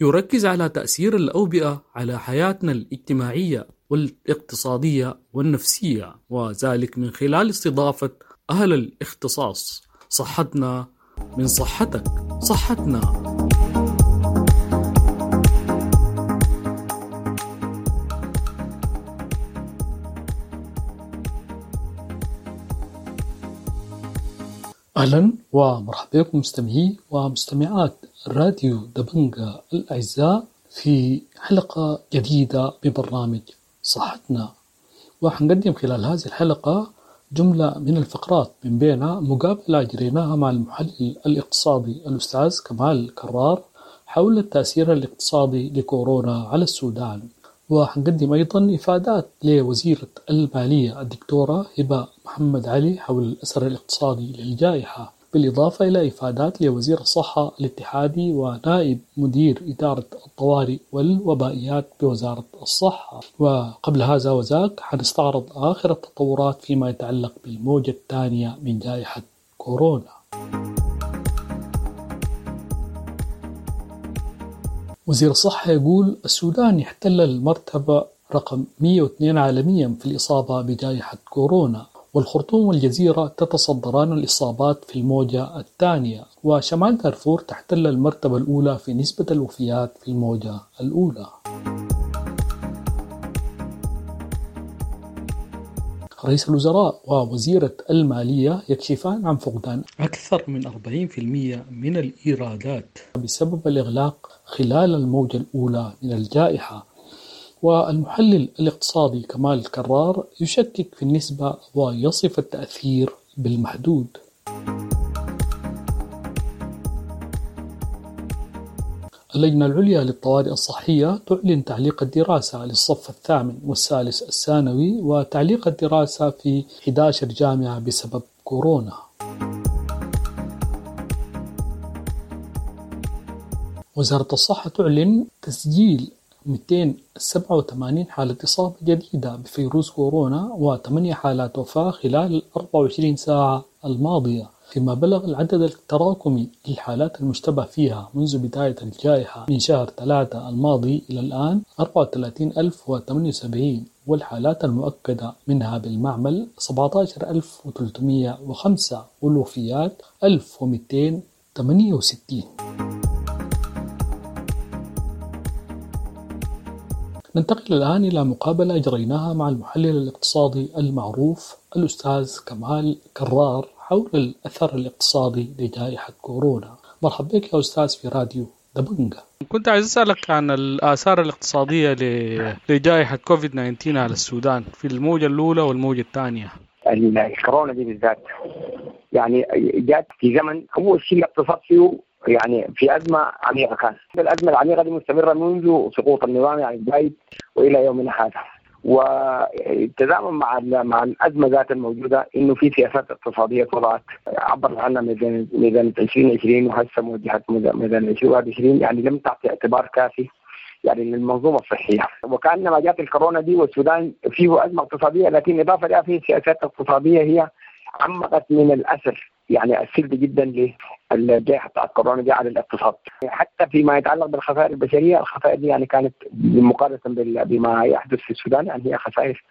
يركز على تأثير الأوبئة على حياتنا الاجتماعية والاقتصادية والنفسية، وذلك من خلال استضافة أهل الاختصاص. صحتنا من صحتك، صحتنا. أهلا ومرحبا بكم مستمعي ومستمعات راديو دبنجا الأعزاء في حلقة جديدة ببرنامج صحتنا، وحنقدم خلال هذه الحلقة جملة من الفقرات من بينها مقابلة أجريناها مع المحلل الاقتصادي الأستاذ كمال كرار حول التأثير الاقتصادي لكورونا على السودان، وحنقدم أيضا إفادات لوزيرة المالية الدكتورة هبة محمد علي حول الأثر الاقتصادي للجائحة، بالإضافة إلى إفادات لوزير الصحة الاتحادي ونائب مدير إدارة الطوارئ والوبائيات بوزارة الصحة. وقبل هذا وذاك حنستعرض آخر التطورات فيما يتعلق بالموجة الثانية من جائحة كورونا. وزير الصحة يقول السودان يحتل المرتبة رقم مئة واثنين عالميا في الإصابة بجائحة كورونا، والخرطوم والجزيرة تتصدران الإصابات في الموجة الثانية، وشمال دارفور تحتل المرتبة الأولى في نسبة الوفيات في الموجة الأولى. رئيس الوزراء ووزيرة المالية يكشفان عن فقدان أكثر من أربعين بالمئة من الإيرادات بسبب الإغلاق خلال الموجة الأولى من الجائحة. والمحلل الاقتصادي كمال كرار يشكك في النسبة ويصف التأثير بالمحدود. اللجنة العليا للطوارئ الصحية تعلن تعليق الدراسة للصف الثامن والثالث الثانوي وتعليق الدراسة في إحدى عشرة جامعة بسبب كورونا. وزارة الصحة تعلن تسجيل مئتين وسبعة وثمانين حالة إصابة جديدة بفيروس كورونا وثمانية حالات وفاة خلال أربعة وعشرين ساعة الماضية، فيما بلغ العدد التراكمي للحالات المشتبه فيها منذ بداية الجائحة من شهر ثلاثة الماضي إلى الآن أربعة وثلاثين ألف وثمانية وسبعين، والحالات المؤكدة منها بالمعمل سبعة عشر ألف وثلاثمئة وخمسة، والوفيات ألف ومئتين وثمانية وستين. ننتقل الآن إلى مقابلة أجريناها مع المحلل الاقتصادي المعروف الأستاذ كمال كرار حول الأثر الاقتصادي لجائحة كورونا. مرحبا بك يا أستاذ في راديو دبنجا. كنت عايز أسألك عن الآثار الاقتصادية لجائحة كوفيد تسعة عشر على السودان في الموجة الأولى والموجة الثانية. الكورونا دي بالذات يعني جات في زمن أول شيء الاقتصاد فيه يعني في أزمة عميقة، كان الأزمة العميقة دي مستمرة منذ سقوط النظام يعني البايد وإلى يومنا هذا، وتزامن مع مع الأزمة ذات الموجودة إنه في سياسات اقتصادية وضعت عبر عنها ميزانية عشرين عشرين وهسه موجهة ميزانية عشرين واحد وعشرين يعني لم تعطي اعتبار كافي يعني للمنظومة الصحية، وكأنما جات الكورونا دي والسودان فيه أزمة اقتصادية، لكن إضافة لها فيه سياسات اقتصادية هي عمقت من الأثر يعني السلبي جدا للجائحة بتاعت كورونا دي على الاقتصاد، حتى فيما يتعلق بالخسائر البشرية. الخسائر دي يعني كانت مقارنة بما يحدث في السودان يعني هي خسائر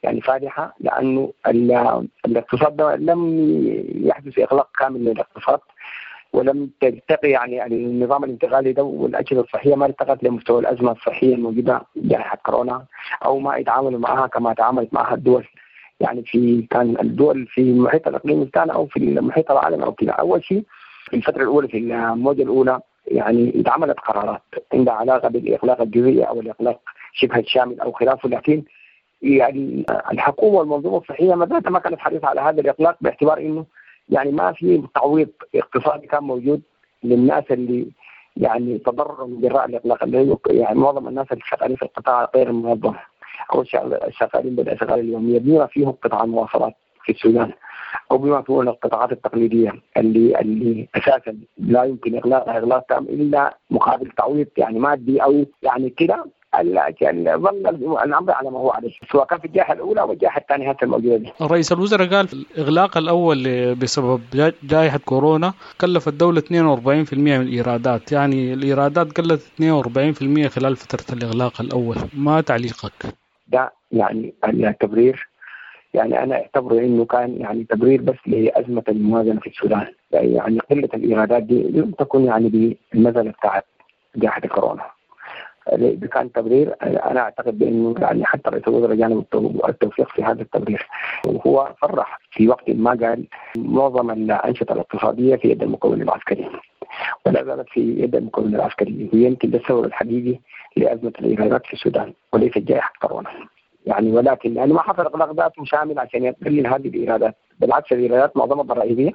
يعني فادحة، لأنه الاقتصاد ده لم يحدث إغلاق كامل للاقتصاد، ولم تلتقي يعني النظام الانتقالي ده والأجهزة الصحية ما ارتقت لمستوى الأزمة الصحية الموجودة جائحة كورونا، أو ما يتعاملوا معها كما تعاملت معها الدول يعني في كان الدول في المحيط الإقليمي بتاعنا أو في المحيط العالمي أو كده. أول شيء في الفترة الأولى في الموجة الأولى يعني اتعملت قرارات عندها علاقة بالإغلاق الجزئي أو الإغلاق شبه الشامل أو خلافه، لكن يعني الحكومة والمنظومة الصحية ما ذاتها ما كانت حريصة على هذا الإغلاق باعتبار إنه يعني ما في تعويض اقتصادي كان موجود للناس اللي يعني تضرروا من جراء الإغلاق، اللي هو يعني معظم الناس اللي شغالين في القطاع غير المنظم. او الشغالين بالاشغال اليومية بما فيهم قطاع المواصلات في السودان او بما فيهم القطاعات التقليدية اللي اللي اساسا لا يمكن اغلاقها اغلاق تام الا مقابل تعويض يعني مادي او يعني كده. ظل الامر على ما هو عليه سواء كان في الجائحة الاولى او الجائحة الثانية هسه الموجودة دي. رئيس الوزراء قال الاغلاق الاول بسبب جائحة كورونا كلف الدولة اثنين وأربعين بالمئة من الايرادات، يعني الايرادات قلت اثنين وأربعين بالمئة خلال فترة الاغلاق الاول، ما تعليقك؟ ده يعني التبرير يعني انا اعتبره انه كان يعني تبرير بس لازمه الموازنة في السودان، يعني قلة الايرادات دي لم تكن يعني بالمثل بتاعت جائحة كورونا. كان تبرير انا اعتقد بانه يعني حتى رئيس الوزراء جانب التوفيق في هذا التبرير، وهو صرح في وقت ما قال معظم الانشطة الاقتصادية في يد المكون العسكري ولا زالت في يد المكون العسكري، ويمكن ده السبب الحقيقي لازمه الايرادات في السودان وليس جائحة كورونا. يعني ولكن يعني ما حصل اغلاق ذاته شامل عشان يقلل هذه الايرادات، بالعكس الايرادات معظمها ضرائبيه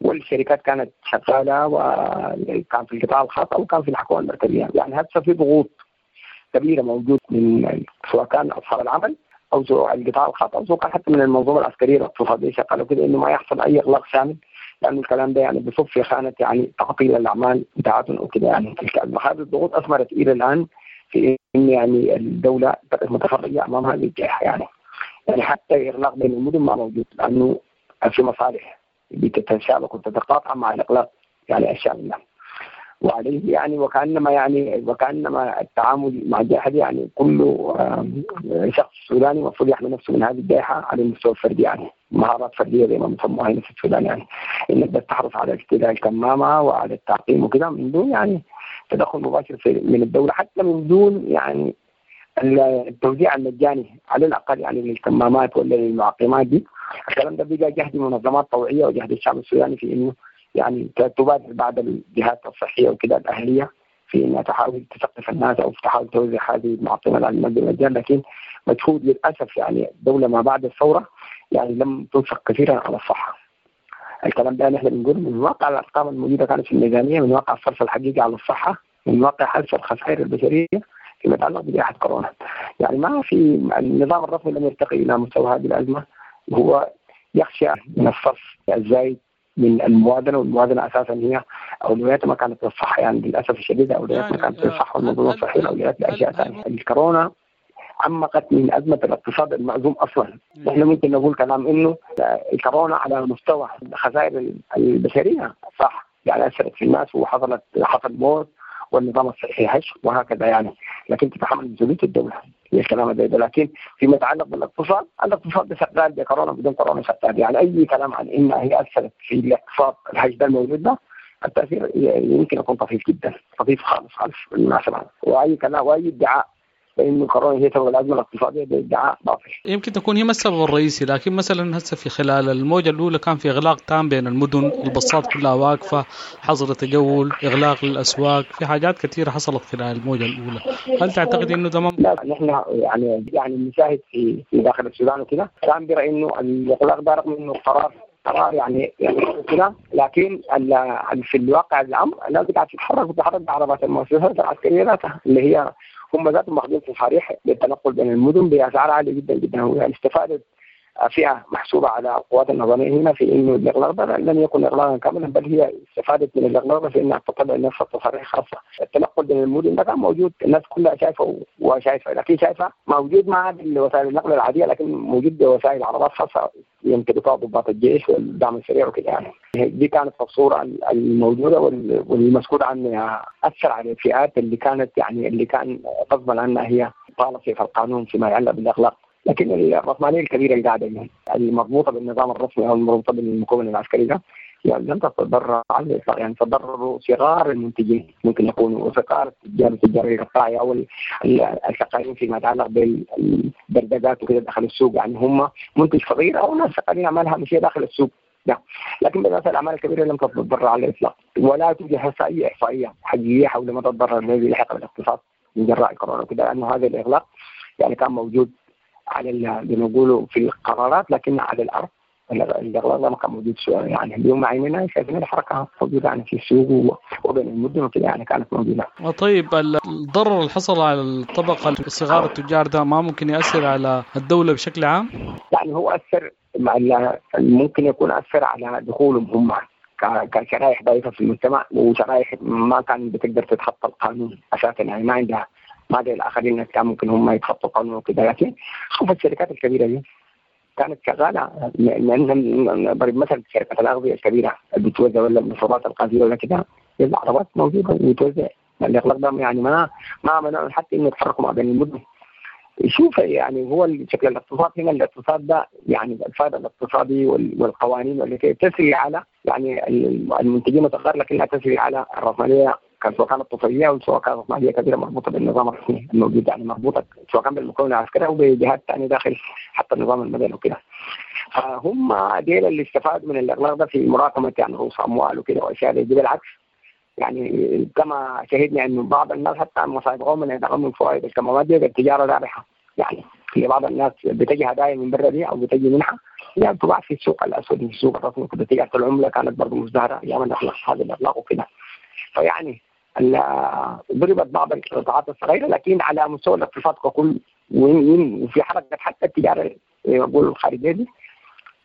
والشركات كانت شغالة وكان في القطاع الخاص او كان في الحكومة المركزية، يعني هسه في ضغوط كبيرة موجود من سواء كان اصحاب العمل او سواء القطاع الخاص او سواء كان حتى من المنظومة العسكرية الاقتصادية شغالة كده انه ما يحصل اي اغلاق شامل، لانه الكلام ده يعني بصب في خانه يعني تعطيل الاعمال بتاعتهم وكده. يعني هذه الضغوط اثمرت الى الان في ان يعني الدولة متفرجه امام هذه الجائحة، يعني يعني حتى اغلاق بين المدن ما موجود لانه في مصالح بتتشابك وتتقاطع مع الاغلاق يعني الشامل، وعليه يعني وكانما يعني وكانما التعامل مع الجائحة دي يعني كل شخص سوداني المفروض يحمي نفسه من هذه الجائحة على المستوى الفردي، يعني مهارات فردية زي ما بيسموها هنا في السودان، يعني انك بس تحرص على ارتداء الكمامة وعلى التعقيم وكده من دون يعني تدخل مباشر في من الدولة، حتى من دون يعني التوزيع المجاني على الاقل يعني للكمامات ولا للمعقمات دي. الكلام ده بقى جهد منظمات طوعيه وجهد الشعب السوداني في انه يعني تبادر بعض الجهات الصحية وكده الاهلية في انها تحاول تثقف الناس او تحاول توزع هذه المعقمات على المدى المجان، لكن مجهود للاسف يعني الدولة ما بعد الثورة يعني لم تنفق كثيرا على الصحة. الكلام ده نحن بنقول من واقع الارقام الموجودة كانت في الميزانية، من واقع الصرف الحقيقي على الصحة، من واقع حذف الخسائر البشرية فيما يتعلق بجائحة كورونا. يعني ما في النظام الرسمي لم يرتقي الى مستوى هذه الازمة، وهو يخشى من الصرف الزايد من الموازنة، والموازنه اساسا هي اولوياتها ما كانت للصحة، يعني للاسف الشديد اولوياتها ما كانت للصحة والمنظومه الصحية، اولويات لاشياء ثانية. الكورونا عمقت من ازمة الاقتصاد المأزوم اصلا. نحن ممكن نقول كلام انه الكورونا على مستوى الخسائر البشرية صح، يعني اثرت في الناس وحصلت حصل موت والنظام الصحي هش وهكذا يعني، لكن تتحمل مسؤولية الدولة هي الكلام ده. لكن فيما يتعلق بالاقتصاد، الاقتصاد ده شغال بكورونا بدون كورونا شغال، يعني اي كلام عن انها هي اثرت في الاقتصاد الهش ده الموجود ده التاثير يمكن يكون طفيف جدا، طفيف خالص خالص بالمناسبة. واي كلام واي ادعاء بان كورونا هي سبب الازمة الاقتصادية ده ادعاء باطل. يمكن تكون هي ما السبب الرئيسي، لكن مثلا هسه في خلال الموجه الاولى كان في اغلاق تام بين المدن، الباصات كلها واقفة، حظر تجول، اغلاق للاسواق، في حاجات كثيرة حصلت خلال الموجه الاولى. هل تعتقد انه ده لا، نحن يعني يعني المشاهد في في داخل السودان وكده كان بيرى انه الاغلاق ده رغم انه قرار قرار يعني يعني كده، لكن في الواقع الامر الناس قاعدة تتحرك وتتحرك بعربات المؤسسات العسكرية ذاتها اللي هي هم ذاتهم ماخذين تصاريح للتنقل بين المدن باسعار عالية جدا جدا، يعني استفادت فئة محسوبة على القوات النظامية هنا في انه الاغلاق ده لم يكن اغلاقا كاملا، بل هي استفادت من الاغلاق في انها تطلع لنفسها تصاريح خاصة. التنقل بين المدن ده كان موجود، الناس كلها شايفه وشايفه، لكن شايفه موجود مع وسائل النقل العادية، لكن موجود بوسائل عربات خاصة يمتلكها ضباط الجيش والدعم السريع وكده. يعني دي كانت الصورة الموجودة والمسكوت عنها اثر على الفئات اللي كانت يعني اللي كان غصبا عنها هي طالت في القانون فيما يتعلق بالاغلاق. لكن الرأسمالية الكبيرة اللي قاعدة المربوطة بالنظام الرسمي أو المربوطة بالمكون العسكري ده يعني لم تتضرر على الإطلاق، يعني تضرروا صغار المنتجين ممكن يكونوا صغار التجار التجار القطاعي أو الشغالين فيما يتعلق بالبردقات وكذا داخل السوق، يعني هم منتج صغير أو ناس شغالين أعمالها مش داخل السوق لا. لكن بالنسبة للأعمال الكبيرة لم تتضرر على الإطلاق، ولا توجد هسه أي إحصائية حقيقية حول مدى الضرر الذي لحق بالاقتصاد من جراء كورونا وكذا، لأنه هذا الإغلاق يعني كان موجود على زي ما نقولوا في القرارات، لكن على الارض الاغلاق ده ما كان موجود يعني. اليوم عيننا شايفين الحركة موجودة يعني في السوق وبين المدن وكده يعني كانت موجودة. طيب الضرر اللي حصل على الطبقة الصغار التجار ده ما ممكن ياثر على الدولة بشكل عام؟ يعني هو اثر مع ممكن يكون اثر على دخولهم هم كشرائح ضعيفة في المجتمع، وشرائح ما كان بتقدر تتخطى القانون اساسا، يعني ما عندها ما زي الاخرين كان ممكن هم يتخطوا القانون وكده. لكن شوف الشركات الكبيرة دي كانت شغالة، لان مثلا شركات الاغذية الكبيرة اللي بتوزع ولا المشروبات الغازية ولا كده، العربات موجودة وتوزع. الاغلاق ده يعني ما ما منعوا حتى انه يتحركوا ما بين المدن. شوف يعني هو شكل الاقتصاد هنا، الاقتصاد ده يعني الفائدة الاقتصادي والقوانين والتي تسري على يعني المنتجين متغير، لكنها تسري على الرأسمالية سواء كانت طفيليه او سواء كانت رأسمالية كبيرة مربوطة بالنظام الرسمي الموجود، يعني مربوطة سواء كان بالمكون العسكري او بجهات ثانية داخل حتى النظام المدني وكده. فهم ديل اللي استفادوا من الاغلاق ده في مراكمه يعني رؤوس اموال وكده واشياء دي. بالعكس يعني كما شهدنا انه بعض الناس حتى مصائب قوم من فوائد الكمامات دي التجارة رابحه، يعني في بعض الناس بتجي هدايا من برا دي او بتجي منحه يعني تباع في السوق الاسود في السوق الرسمي وكده. تجارة العملة كانت برضه مزدهره ايام الاغلاق هذا الاغلاق وكده. فيعني ضربت بعض القطاعات الصغيرة، لكن على مستوى الاقتصاد ككل وفي حركة حتى التجارة نقول الخارجية دي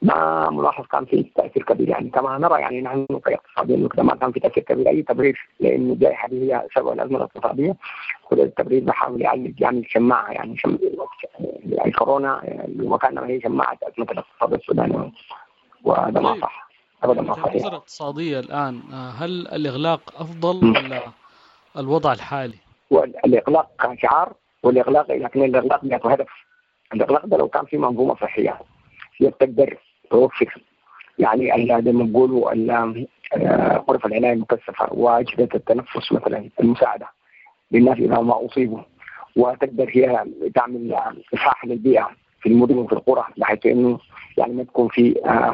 ما ملاحظ كان في تاثير كبير، يعني كما نرى يعني نحن كاقتصاديين وكذا ما كان في تاثير كبير. اي تبرير لانه الجائحة دي هي سبب الازمة الاقتصادية، كل التبرير بحاول يعالج يعني الشماعه، يعني شم... الكورونا وكانما هي شماعة ازمة الاقتصاد السوداني، وهذا ما صح ابدا ما صحيح. الاقتصادية الان هل الاغلاق افضل ولا الوضع الحالي؟ والاغلاق كان شعار، والاغلاق لكن الاغلاق له هدف. الاغلاق ده لو كان في منظومة صحية هي بتقدر توفر يعني زي ما بيقولوا غرف العناية المكثفة واجهزة التنفس مثلا المساعدة للناس اذا ما اصيبوا، وتقدر هي تعمل اصحاح للبيئة في المدن وفي القرى بحيث انه يعني ما تكون في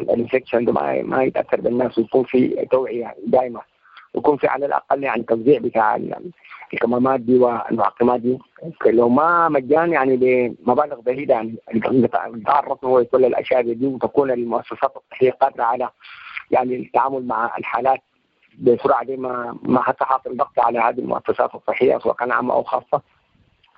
ال infection ما ما يتاثر بالناس، ويكون في توعيه دائمة، ويكون في على الاقل يعني توزيع بتاع الكمامات دي والمعقمات دي لو ما مجان يعني بمبالغ زهيدة، يعني القطاع الرسمي هو كل الاشياء دي، وتكون المؤسسات الصحية قادرة على يعني التعامل مع الحالات بسرعة دي، ما ما حتى حاصل ضغط على هذه المؤسسات الصحية سواء كان عامة او خاصة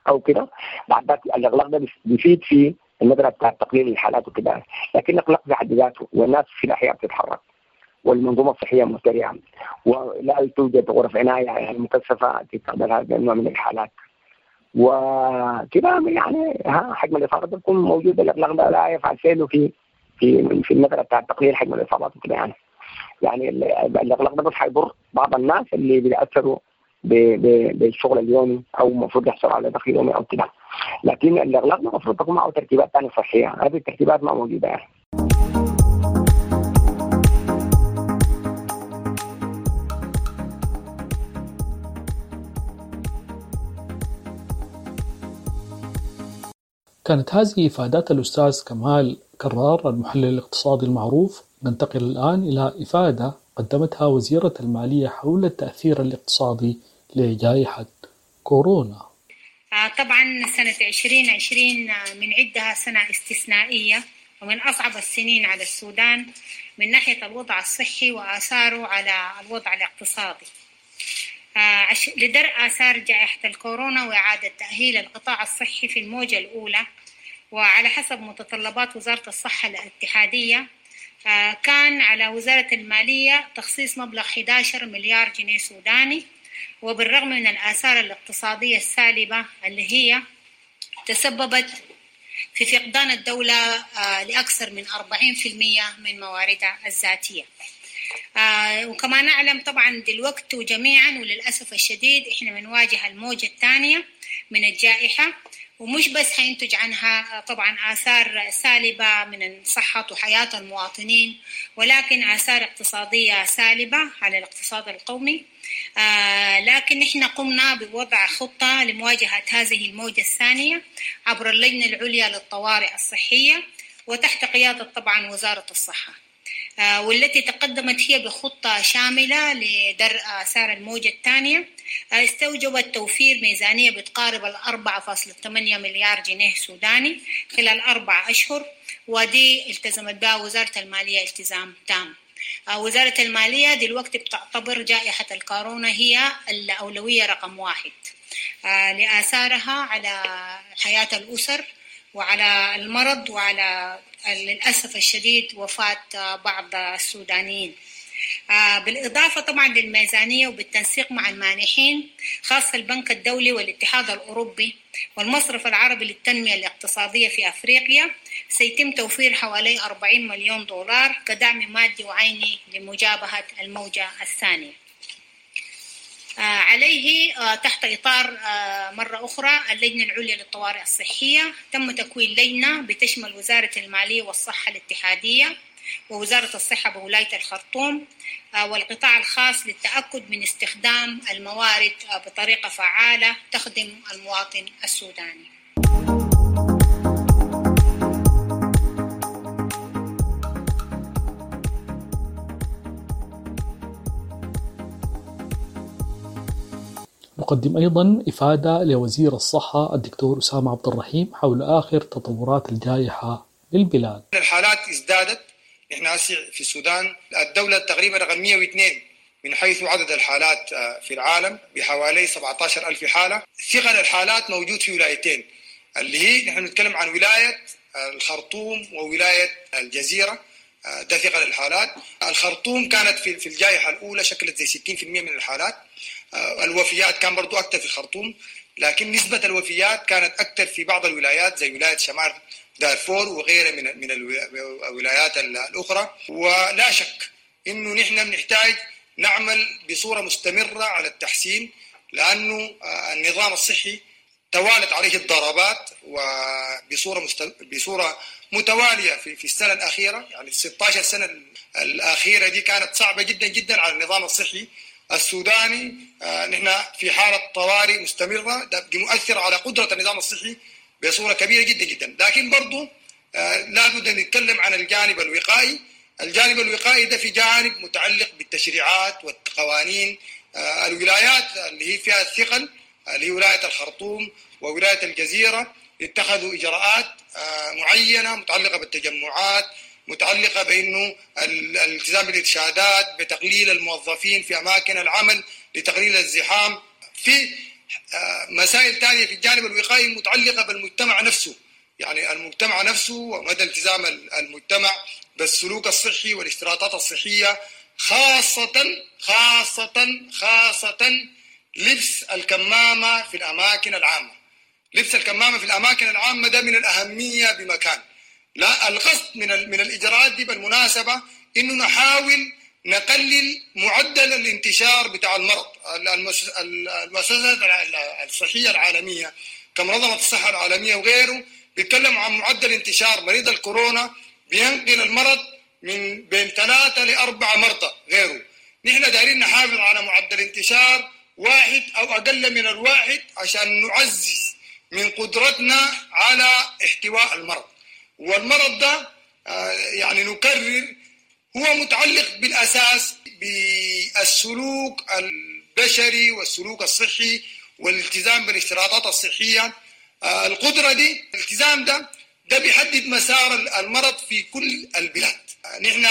او كده. بعد ذاك الاغلاق ده بيفيد في المدرسة بتاع تقليل الحالات وكده، لكن الاغلاق بحد ذاته والناس في الاحياء بتتحرك والمنظومه الصحية مهترئه ولا توجد غرف عناية يعني مكثفة تستقبل هذا النوع من الحالات وكده، يعني ها حجم الاصابات بتكون موجودة. الاغلاق ده لا يفعل شيء في في في المدرسة بتاع تقليل حجم الاصابات وكده، يعني يعني الاغلاق ده بس حيضر بعض الناس اللي بيتاثروا بالشغل اليومي او المفروض يحصل على دخل يومي او كده، لكن الاغلاق المفروض تكون معه ترتيبات ثانية صحية، هذه الترتيبات ما موجودة يعني. كانت هذه إفادات الأستاذ كمال كرار المحلل الاقتصادي المعروف. ننتقل الآن إلى إفادة قدمتها وزيرة المالية حول التأثير الاقتصادي لجائحة كورونا. طبعا سنة عشرين عشرين من عدها سنة استثنائية ومن أصعب السنين على السودان من ناحية الوضع الصحي وآثاره على الوضع الاقتصادي. لدرء آثار جائحة الكورونا وإعادة تأهيل القطاع الصحي في الموجة الأولى وعلى حسب متطلبات وزارة الصحة الاتحادية، كان على وزارة المالية تخصيص مبلغ أحد عشر مليار جنيه سوداني، وبالرغم من الآثار الاقتصادية السالبة اللي هي تسببت في فقدان الدولة لأكثر من أربعين بالمئة من مواردها الذاتية. وكما نعلم طبعا دلوقتي وجميعا وللأسف الشديد إحنا بنواجه الموجة الثانية من الجائحة، ومش بس حينتج عنها طبعا آثار سالبة من صحة وحياة المواطنين، ولكن آثار اقتصادية سالبة على الاقتصاد القومي. آه لكن نحن قمنا بوضع خطة لمواجهة هذه الموجة الثانية عبر اللجنة العليا للطوارئ الصحية وتحت قيادة طبعا وزارة الصحة. والتي تقدمت هي بخطة شاملة لدرء آثار الموجة الثانية، استوجبت توفير ميزانية بتقارب الأربعة فاصلة ثمانية مليار جنيه سوداني خلال أربع أشهر، ودي التزمت بها وزارة المالية التزام تام. وزارة المالية دلوقتي بتعتبر جائحة الكورونا هي الأولوية رقم واحد لآثارها على حياة الأسر وعلى المرض وعلى للأسف الشديد وفاة بعض السودانيين. بالإضافة طبعا للميزانية وبالتنسيق مع المانحين خاصة البنك الدولي والاتحاد الأوروبي والمصرف العربي للتنمية الاقتصادية في أفريقيا، سيتم توفير حوالي أربعين مليون دولار كدعم مادي وعيني لمجابهة الموجة الثانية. عليه تحت إطار مرة أخرى اللجنة العليا للطوارئ الصحية تم تكوين لجنة بتشمل وزارة المالية والصحة الاتحادية ووزارة الصحة بولاية الخرطوم والقطاع الخاص للتأكد من استخدام الموارد بطريقة فعالة تخدم المواطن السوداني. نقدم أيضا إفادة لوزير الصحة الدكتور أسامة عبد الرحيم حول آخر تطورات الجائحة بالبلاد. الحالات ازدادت، نحن في السودان الدولة تقريبا رقم مئة واثنين من حيث عدد الحالات في العالم بحوالي سبعة عشر ألف حالة. ثقل الحالات موجود في ولايتين اللي هي نحن نتكلم عن ولاية الخرطوم وولاية الجزيرة، ده ثقل الحالات. الخرطوم كانت في الجائحة الأولى شكلت زي ستين بالمئة من الحالات، الوفيات كان برضو أكثر في الخرطوم، لكن نسبة الوفيات كانت أكثر في بعض الولايات زي ولاية شمال دارفور وغيرها من من الولايات الأخرى. ولا شك إنه نحن بنحتاج نعمل بصورة مستمرة على التحسين، لأنه النظام الصحي توالت عليه الضربات وبصورة مست... بصورة متوالية في في السنة الأخيرة، يعني ستة عشر سنة الأخيرة دي كانت صعبة جدا جدا على النظام الصحي السوداني. نحن في حالة طوارئ مستمرة، دي مؤثرة على قدرة النظام الصحي بصورة كبيرة جدا جدا. لكن برضو لا بد أن نتكلم عن الجانب الوقائي. الجانب الوقائي ده في جانب متعلق بالتشريعات والقوانين. الولايات اللي هي فيها الثقل اللي هي ولاية الخرطوم وولاية الجزيرة اتخذوا إجراءات معينة متعلقة بالتجمعات، متعلقة بأنه الالتزام بالإرشادات، بتقليل الموظفين في أماكن العمل لتقليل الزحام. في مسائل تانية في الجانب الوقائي متعلقة بالمجتمع نفسه، يعني المجتمع نفسه ومدى التزام المجتمع بالسلوك الصحي والاشتراطات الصحية، خاصة خاصة خاصة لبس الكمامة في الأماكن العامة. لبس الكمامة في الأماكن العامة ده من الأهمية بمكان. لا القصد من من الإجراءات دي بالمناسبة إنه نحاول نقلل معدل الانتشار بتاع المرض. المؤسسات الصحية العالمية كمنظمة الصحة العالمية وغيره بيتكلموا عن معدل انتشار مريض الكورونا بينقل المرض من بين ثلاثة لأربعة مرضى غيره. نحن دايرين نحافظ على معدل انتشار واحد أو أقل من الواحد عشان نعزز من قدرتنا على احتواء المرض. والمرض ده يعني نكرر هو متعلق بالأساس بالسلوك البشري والسلوك الصحي والالتزام بالاشتراطات الصحية. القدرة دي الالتزام ده ده بيحدد مسار المرض في كل البلاد. نحن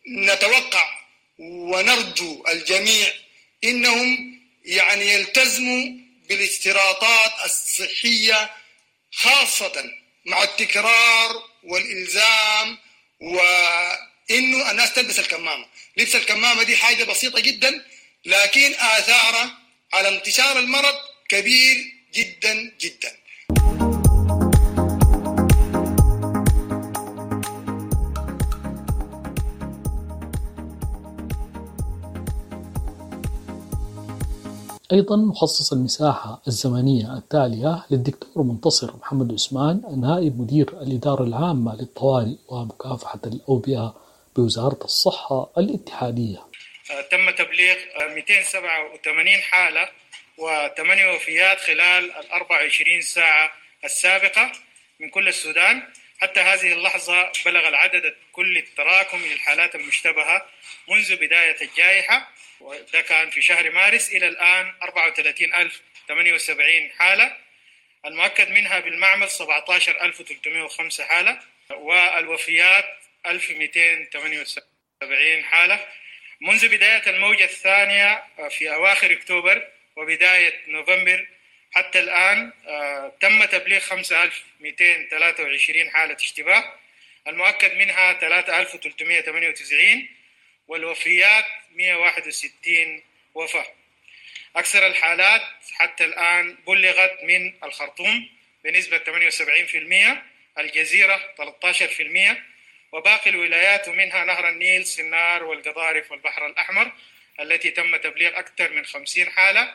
نتوقع ونرجو الجميع إنهم يعني يلتزموا بالاشتراطات الصحية، خاصة مع التكرار والإلزام، وإنه الناس تلبس الكمامة. لبس الكمامة دي حاجة بسيطة جدا، لكن آثارها على انتشار المرض كبير جدا جدا. أيضا نخصص المساحة الزمنية التالية للدكتور منتصر محمد عثمان، نائب مدير الإدارة العامة للطوارئ ومكافحة الأوبئة بوزارة الصحة الاتحادية. تم تبليغ مئتين وسبعة وثمانين حالة وثمانية وفيات خلال الأربع وعشرين ساعة السابقة من كل السودان. حتى هذه اللحظة بلغ العدد الكلي التراكمي للحالات المشتبهة منذ بداية الجائحة، وده كان في شهر مارس، إلى الآن أربعة وثلاثين ألف وثمانية وسبعين حالة، المؤكد منها بالمعمل سبعة عشر ألف وثلاثمئة وخمسة حالة، والوفيات ألف ومئتين وثمانية وسبعين حالة. منذ بداية الموجة الثانية في أواخر أكتوبر وبداية نوفمبر حتى الآن تم تبليغ خمسة آلاف ومئتين وثلاثة وعشرين حالة اشتباه، المؤكد منها ثلاثة آلاف وثلاثمئة وثمانية وتسعين، والوفيات مئة وواحد وستين وفاة. أكثر الحالات حتى الآن بلغت من الخرطوم بنسبة ثمانية وسبعين بالمئة، الجزيرة ثلاثة عشر بالمئة، وباقي الولايات ومنها نهر النيل، سنار، والقضارف والبحر الأحمر التي تم تبليغ أكثر من خمسين حالة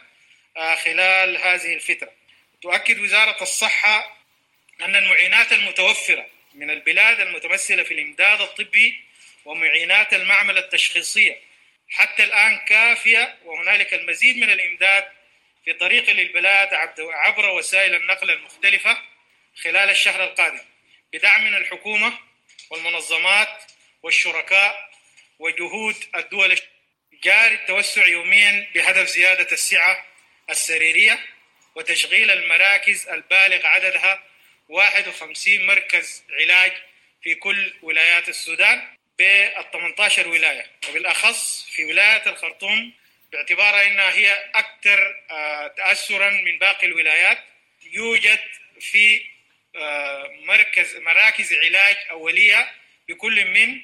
خلال هذه الفترة. تؤكد وزارة الصحة أن المعينات المتوفرة من البلاد المتمثلة في الإمداد الطبي ومعينات المعمل التشخيصية حتى الآن كافية، وهنالك المزيد من الإمداد في طريق للبلاد عبر وسائل النقل المختلفة خلال الشهر القادم بدعم من الحكومة والمنظمات والشركاء وجهود الدول. جاري التوسع يوميا بهدف زيادة السعة السريرية وتشغيل المراكز البالغ عددها واحد وخمسين مركز علاج في كل ولايات السودان بال ثمانية عشر ولاية، وبالأخص في ولاية الخرطوم باعتبارها أنها هي أكثر تأثرا من باقي الولايات. يوجد في مركز مراكز علاج أولية بكل من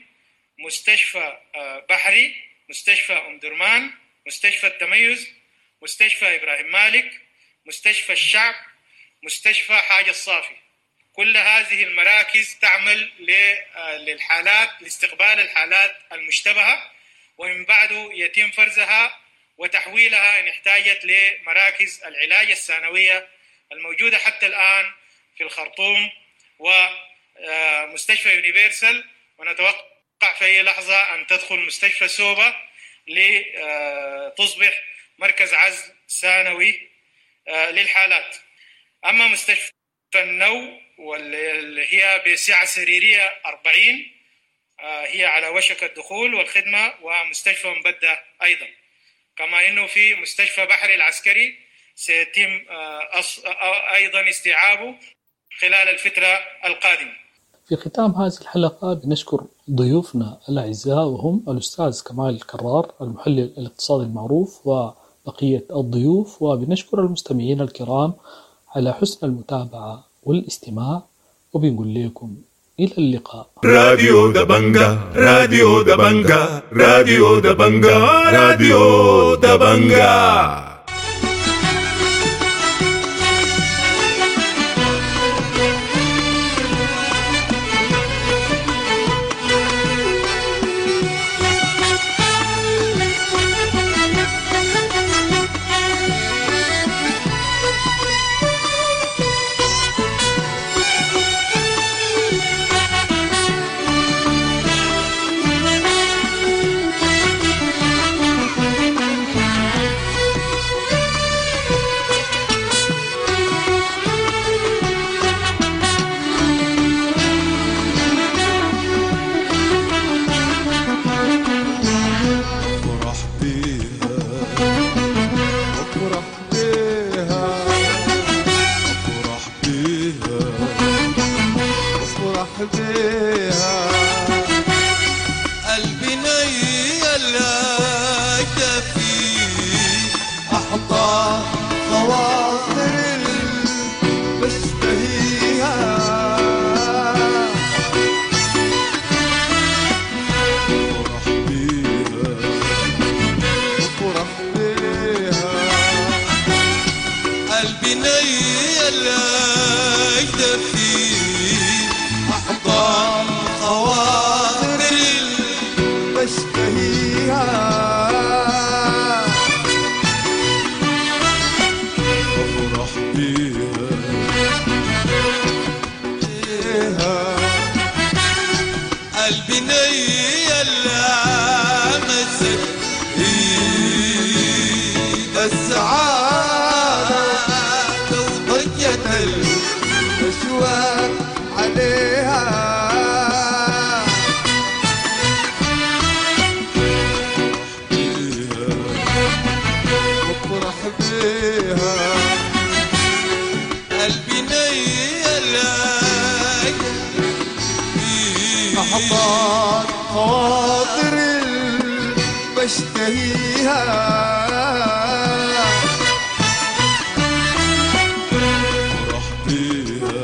مستشفى بحري، مستشفى أم درمان، مستشفى التميز، مستشفى إبراهيم مالك، مستشفى الشعب، مستشفى حاج الصافي. كل هذه المراكز تعمل للحالات، لاستقبال الحالات المشتبهة، ومن بعده يتم فرزها وتحويلها إن احتاجت لمراكز العلاج الثانوية الموجودة حتى الآن في الخرطوم ومستشفى يونيفرسال، ونتوقع في أي لحظة أن تدخل مستشفى سوبا لتصبح مركز عزل ثانوي للحالات. أما مستشفى النو واللي هي بسعة سريرية أربعين هي على وشك الدخول والخدمة، ومستشفى مبدة أيضا. كما أنه في مستشفى بحري العسكري سيتم أيضا استيعابه خلال الفترة القادمة. في ختام هذه الحلقة بنشكر ضيوفنا الأعزاء، وهم الأستاذ كمال الكرار المحلل الاقتصادي المعروف وبقية الضيوف، وبنشكر المستمعين الكرام على حسن المتابعة والاستماع، وبنقول لكم إلى اللقاء. راديو دبنجا، راديو دبنجا، راديو دبنجا، راديو دبنجا. السعادة وضيت الأشواق. عطار خواطر بشتهيها افرح بيها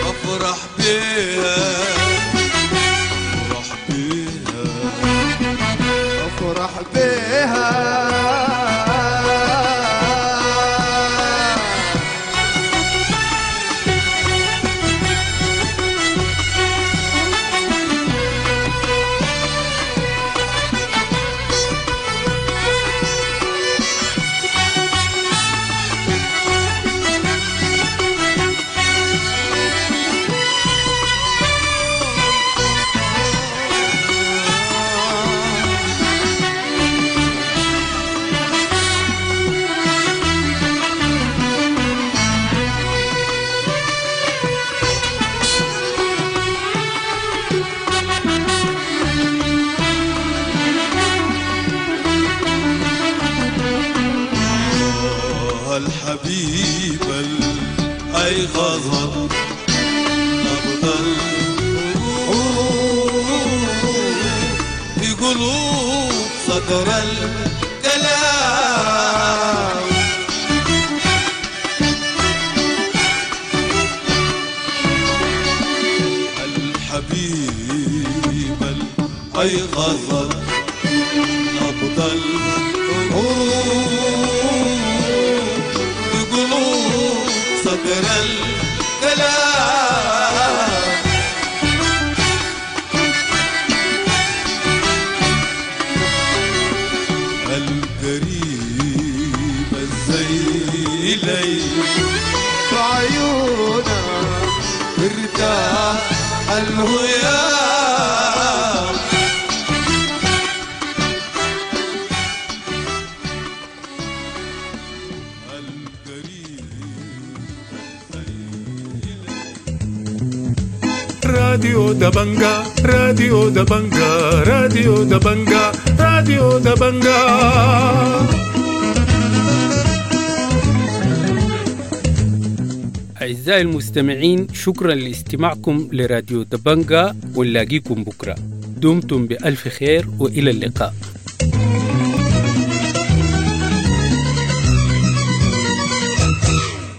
افرح بيها افرح بيها افرح بيها. الحبيب أيقظت نبض الروح في قلوب صدر الكلام. الحبيب أيقظت نبض الروح صدر الكلام. القريب الزي لي بعيونا ارتاح الهيام. راديو دبنجا، راديو دبنجا، راديو دبنجا، راديو دبنجا. أعزائي المستمعين، شكرا لاستماعكم لراديو دبنجا، ونلاقيكم بكرة. دمتم بألف خير وإلى اللقاء.